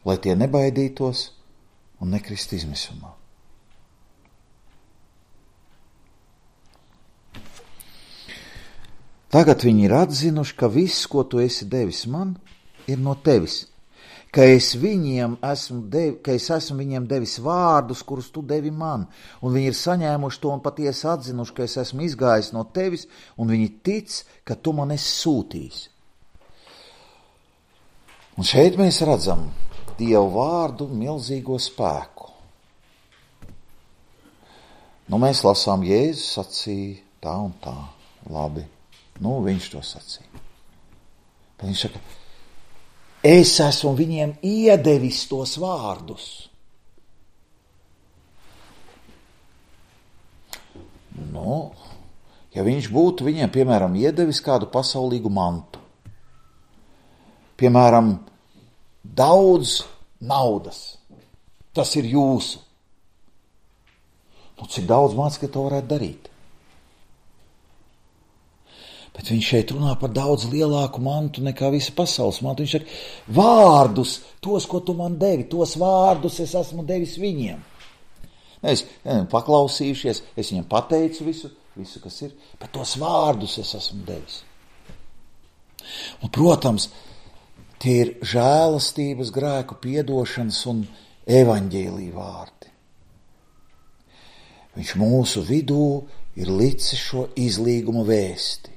lai tie nebaidītos un nekrist izmisumā. Tagad viņi ir atzinuši, ka viss, ko tu esi devis man, ir no tevis, ka es esmu viņiem devis vārdus, kurus tu devi man, un viņi ir saņēmuši to un patiesi atzinuši, ka es esmu izgājis no tevis, un viņi tic, ka tu man esi sūtījis. Un šeit mēs redzam Dievu vārdu milzīgo spēku. Mēs lasām, Jēzus sacīja tā un tā, labi, viņš to sacīja. Bet viņš saka, es esmu viņiem iedevis tos vārdus. ja viņš būtu viņiem, piemēram, iedevis kādu pasaulīgu mantu. Piemēram, daudz naudas. Tas ir jūsu. Nu, cik daudz mācekļi to varētu darīt? Bet viņš šeit runā par daudz lielāku mantu nekā visa pasaules mantu. Viņš saka, vārdus, tos, ko tu man devi, tos vārdus es esmu devis viņiem. Es paklausījušies, es viņiem pateicu visu, kas ir, bet tos vārdus es esmu devis. Un, protams, tie ir žēlastības, grēku piedošanas un evaņģēlija vārdi. Viņš mūsu vidū ir licis šo izlīguma vēsti.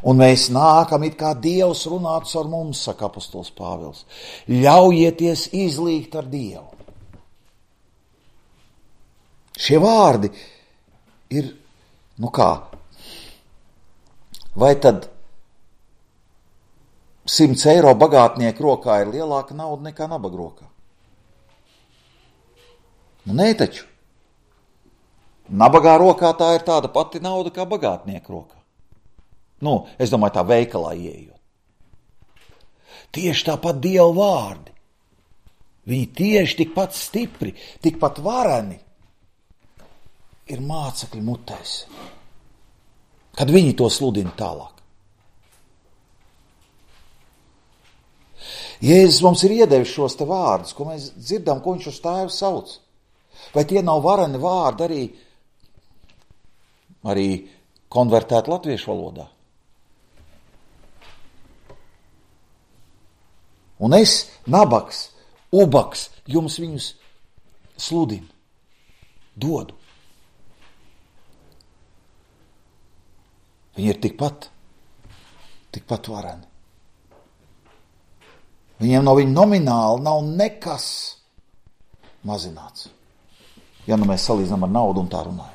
Un mēs nākam, it kā Dievs runātu ar mums, saka apostols Pāvils. Ļaujieties izlīgt ar Dievu. Šie vārdi ir, vai tad 100 eiro bagātnieku rokā ir lielāka nauda nekā nabaga rokā? Nu, nē taču. Nabagā rokā tā ir tāda pati nauda kā bagātnieku rokā. Nu, es domāju, tā veikalā ieejot. Tieši tāpat Dieva vārdi. Viņi tieši tikpat stipri, tikpat vareni ir mācekļu mutēs, kad viņi to sludina tālāk. Jēzus mums ir iedevis šos te vārdus, ko mēs dzirdam, ko viņš uz tēvu sauc. Vai tie nav vareni vārdi arī konvertēt latviešu valodā? Un es, nabaks, ubaks, jums viņus sludinu, dodu. Viņi ir tikpat vareni. Viņiem no viņa nomināli nav nekas mazināts. Ja nu mēs salīdzinām ar naudu un tā runājam.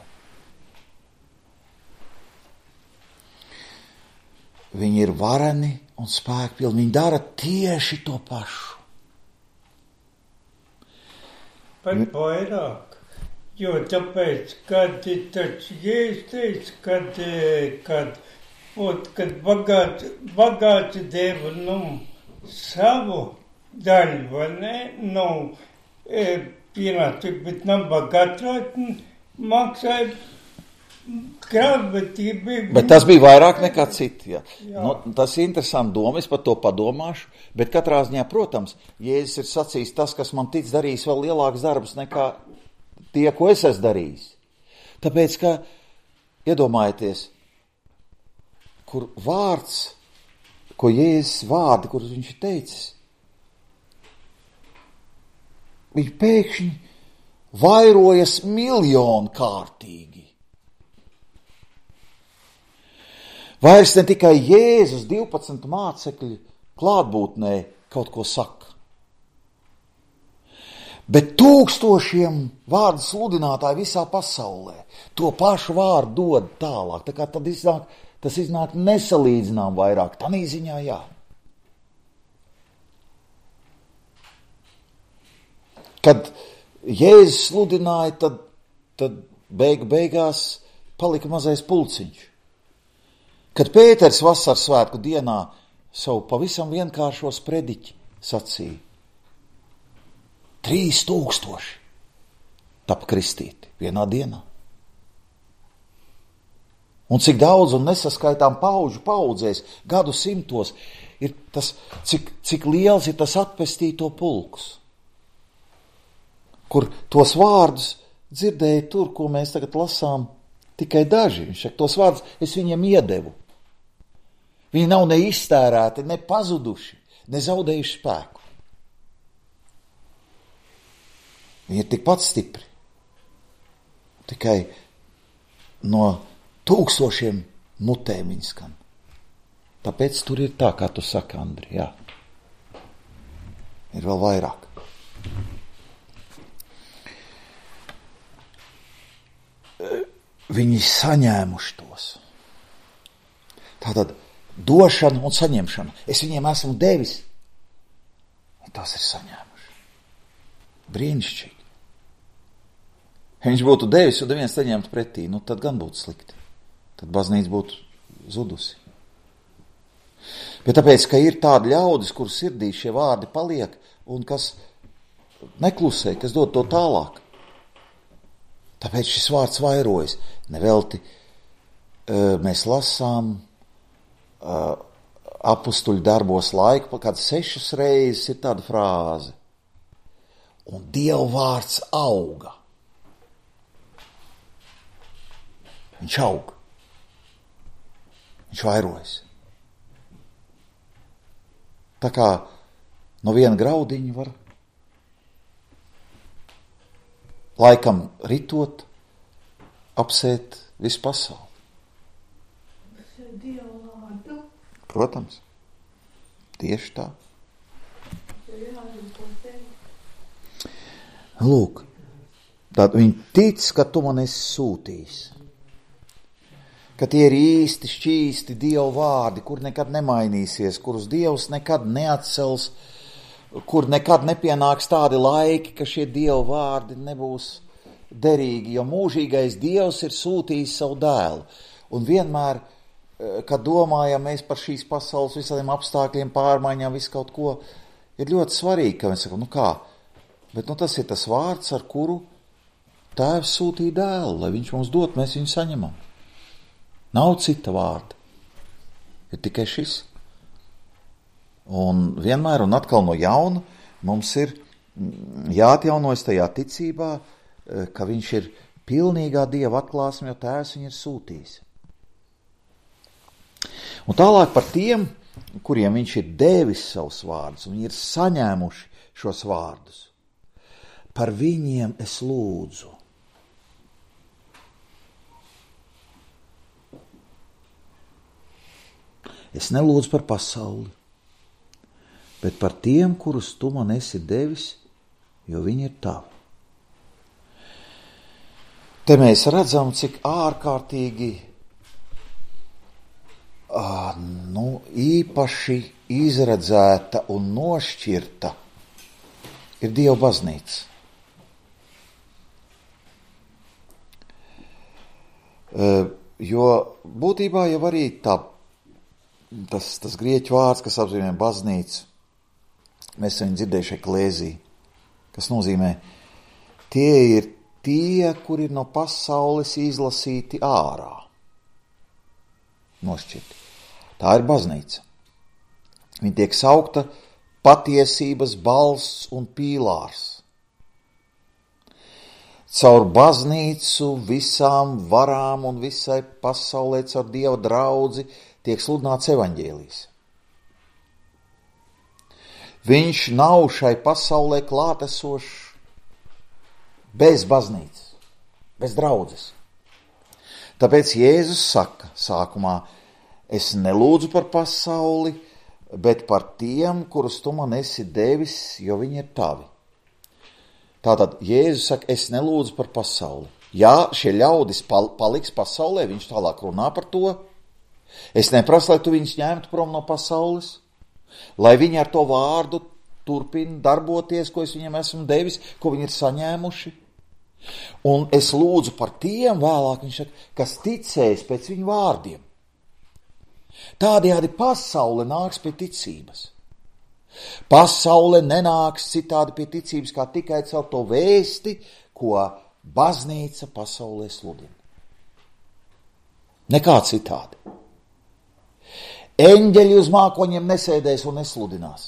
Viņi ir vareni un spēkpilni. Viņi dara tieši to pašu. Pat vairāk. Jo tāpēc, kad taču Jēzus teica, kad bagāti deva savu daļu, vai ne? Pienāca, bet nabagātrāt maksāja krāpniecība. Bet tas bija vairāk nekā citi. Ja. Nu, tas ir interesanti doma, es par to padomāšu, bet katrā ziņā, protams, Jēzus ir sacījis tas, kas man tic darīs vēl lielāks darbs nekā tie, ko es esmu darījis. Tāpēc, ka, iedomājieties, kur vārds, ko Jēzus vārdi, kurus viņš ir teicis, viņi pēkšņi vairojas miljonkārtīgi. Vairs ne tikai Jēzus 12 mācekļu klātbūtnē kaut ko saka, bet tūkstošiem vārdu sludinātāji visā pasaulē to pašu vārdu dod tālāk. Tā kā tas iznāk nesalīdzinām vairāk. Tanī ziņā jā. Kad Jēzus sludināja, tad beigās palika mazais pulciņš. Kad Pēters vasaras svētku dienā savu pavisam vienkāršo sprediķi sacīja, 3000 tapa kristīti vienā dienā. Un cik daudz un nesaskaitām paudzēs, gadu simtos, ir tas, cik liels ir tas atpestīto pulks, kur tos vārdus dzirdēja tur, ko mēs tagad lasām, tikai daži. Viņš saka, tos vārdus es viņiem iedevu. Viņi nav ne iztērēti, ne pazuduši, ne zaudējuši spēku. Viņi ir tikpat stipri. Tikai no tūkstošiem mutēm viņi skan. Tāpēc tur ir tā, kā tu saki, Andri, jā. Ir vēl vairāk. Viņi saņēmuši tos. Tātad došana un saņemšana. Es viņiem esmu devis. Un tās ir saņēmuši. Brīnišķīgi. Ja viņš būtu devis un neviens saņemtu pretī, tad gan būtu slikti. tad baznīca būtu zudusi. Bet tāpēc, ka ir tādi ļaudis, kur sirdī šie vārdi paliek un kas neklusē, kas dod to tālāk. Tāpēc šis vārds vairojas. Nevelti mēs lasām apustuļu darbos laiku, kad 6 reizes ir tāda frāze. Un Dieva vārds auga. Viņš aug. Viņš vairojas. Tā kā no viena graudiņa var laikam ritot, apsēt visu pasauli. Protams, tieši tā. Lūk, tad viņi tic, ka tu man esi sūtījis. Ka tie ir īsti, šķīsti Dieva vārdi, kur nekad nemainīsies, kurus Dievs nekad neatcels, kur nekad nepienāks tādi laiki, ka šie Dieva vārdi nebūs derīgi, jo mūžīgais Dievs ir sūtījis savu dēlu. Un vienmēr, kad domājam mēs par šīs pasaules visādiem apstākļiem, pārmaiņām, visu kaut ko, ir ļoti svarīgi, ka mēs sakam, bet tas ir tas vārds, ar kuru Tēvs sūtīja dēlu, lai viņš mums dot, mēs viņu saņemam. Nav cita vārda. Ir tikai šis. Un vienmēr un atkal no jauna mums ir jāatjaunojas tajā ticībā, ka viņš ir pilnīgā Dieva atklāsme, jo Tēvs viņu ir sūtījis. Un tālāk par tiem, kuriem viņš ir devis savus vārdus, un viņi ir saņēmuši šos vārdus. Par viņiem es lūdzu. Es nelūdzu par pasauli, bet par tiem, kurus tu man esi devis, jo viņi ir tavi. Te mēs redzam, cik ārkārtīgi īpaši izredzēta un nošķirta ir Dieva baznīca. Jo būtībā jau arī tas grieķu vārds, kas apzīmē baznīcu, mēs esam dzirdējuši eklēzī, kas nozīmē, tie ir tie, kuri ir no pasaules izlasīti ārā. Nošķirti. Tā ir baznīca. Viņa tiek saukta patiesības balsts un pīlārs. Caur baznīcu visām varām un visai pasaulē caur Dieva draudzi tiek sludināts evaņģēlijs. Viņš nav šai pasaulē klātesošs bez baznīcas, bez draudzes. Tāpēc Jēzus saka sākumā, es nelūdzu par pasauli, bet par tiem, kurus tu man esi devis, jo viņi ir tavi. Tātad Jēzus saka, es nelūdzu par pasauli. Ja šie ļaudis paliks pasaulē, viņš tālāk runā par to. Es neprasu, lai tu viņus ņemtu prom no pasaules, lai viņi ar to vārdu turpina darboties, ko es viņiem esmu devis, ko viņi ir saņēmuši. Un es lūdzu par tiem vēlāk, viņš saka, kas ticēs pēc viņu vārdiem. Tādējādi pasaule nāks pie ticības. Pasaule nenāks citādi pie ticības, kā tikai caur to vēsti, ko baznīca pasaulē sludina. Nekā citādi. Eņģeļi uz mākoņiem nesēdēs un nesludinās.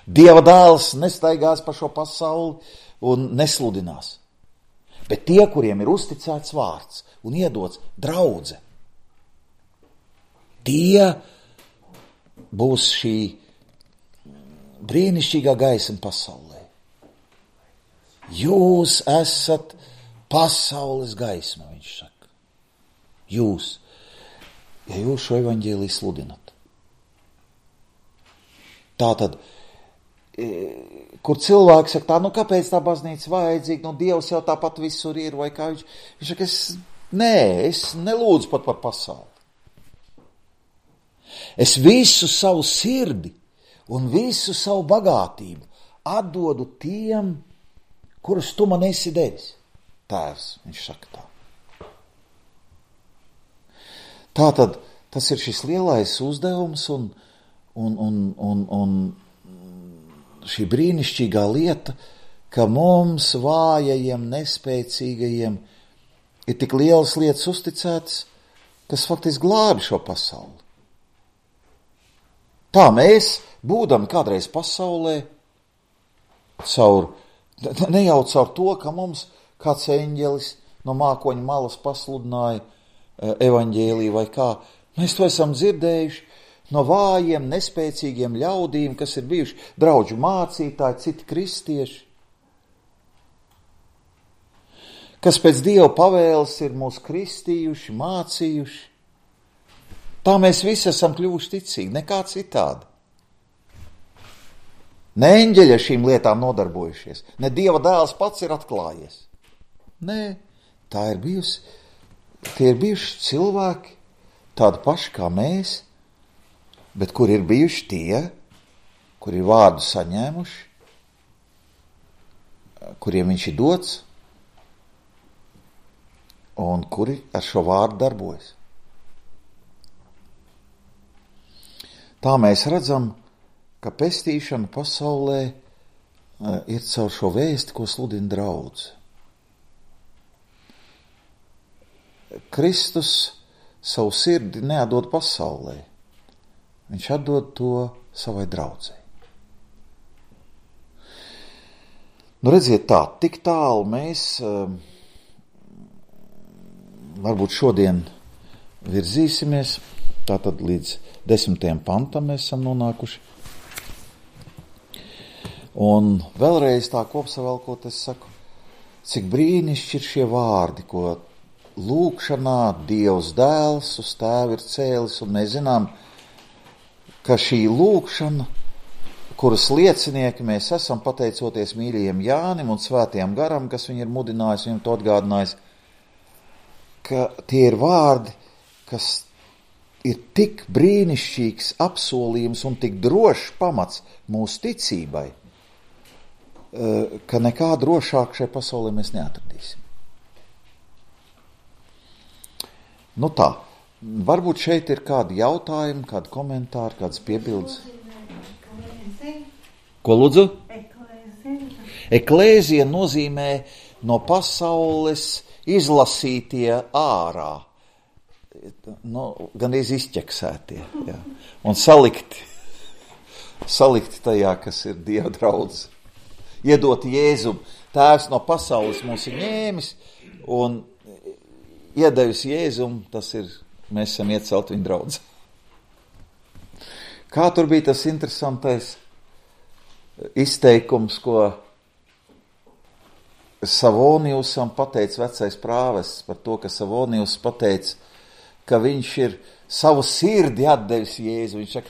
Dieva dēls nestaigās pa šo pasauli un nesludinās. Bet tie, kuriem ir uzticēts vārds un iedots draudze, tie būs šī brīnišķīgā gaisma pasaulē. Jūs esat pasaules gaisma, viņš saka. Jūs, ja jūs šo evaņģēliju sludinat. Tātad, kur cilvēks saka tā, kāpēc tā baznīca vajadzīga, Dievs jau tāpat visur ir, vai kā viņš saka, es nelūdzu pat par pasauli. Es visu savu sirdi un visu savu bagātību atdodu tiem, kurus tu man esi devis. Tēvs, viņš saka tā. Tātad tas ir šis lielais uzdevums un šī brīnišķīgā lieta, ka mums vājajiem, nespēcīgajiem ir tik lielas lietas uzticētas, kas faktiski glābi šo pasauli. Tā mēs, būdami kādreiz pasaulē, ne jau caur to, ka mums kāds eņģelis no mākoņa malas pasludināja evaņģēliju vai kā, mēs to esam dzirdējuši no vājiem, nespēcīgiem ļaudīm, kas ir bijuši draudžu mācītāji, citi kristieši, kas pēc Dieva pavēles ir mūs kristījuši, mācījuši. Tā mēs visi esam kļuvuši ticīgi, nekā citādi. Ne eņģeļi ar šīm lietām nodarbojušies, ne Dieva dēls pats ir atklājies. Nē, tie ir bijuši cilvēki, tādi paši kā mēs, bet kur ir bijuši tie, kuri ir vārdu saņēmuši, kuriem viņš ir dots, un kuri ar šo vārdu darbojas. Tā mēs redzam, ka pestīšana pasaulē ir caur šo vēsti, ko sludina draudze. Kristus savu sirdi neatdod pasaulē. Viņš atdod to savai draudzei. Nu, redziet tā, tik tālu mēs varbūt šodien virzīsimies, tātad līdz 10. pantam mēs esam nonākuši. Un vēlreiz tā kopsavilkot, es saku, cik brīnišķi ir šie vārdi, ko lūgšanā Dievs dēls uz tēvu ir cēlis, un mēs zinām, ka šī lūgšana, kuras liecinieki mēs esam pateicoties mīļajiem Jānim un svētajam garam, kas viņu ir mudinājis, viņam to atgādinājis, ka tie ir vārdi, kas ir tik brīnišķīgs apsolījums un tik drošs pamats mūsu ticībai, ka nekā drošāk šai pasaulē mēs neatradīsim. Nu tā, varbūt šeit ir kādi jautājumi, kādi komentāri, kādas piebildes. Ko lūdzu? Eklēzija nozīmē no pasaules izlasītie ārā, gandrīz izķeksētie, jā. Un salikti tajā, kas ir Dieva draudze. Iedot Jēzum. Tēvs no pasaules mūs ir ņēmis un iedevis Jēzum, tas ir, mēs esam iecelt viņa draudze. Kā tur bija tas interesantais izteikums, ko Savonijusam pateica vecais prāvests par to, ka Savonijus pateica, ka viņš ir savu sirdi atdevis Jēzu. Viņš saka,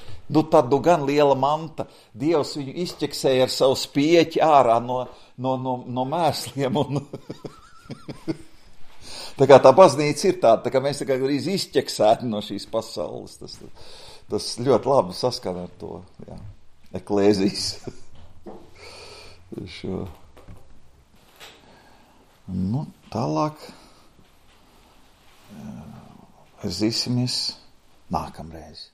tad gan liela manta. Dievs viņu izķeksēja ar savu spieķi ārā no mēsliem. Un tā kā tā baznīca ir tāda, tā kā mēs tā kā arī izķeksēti no šīs pasaules. Tas ļoti labi saskan ar to, jā, eklēzijas. Šo. Nu, tālāk virzīsimies nākamreiz.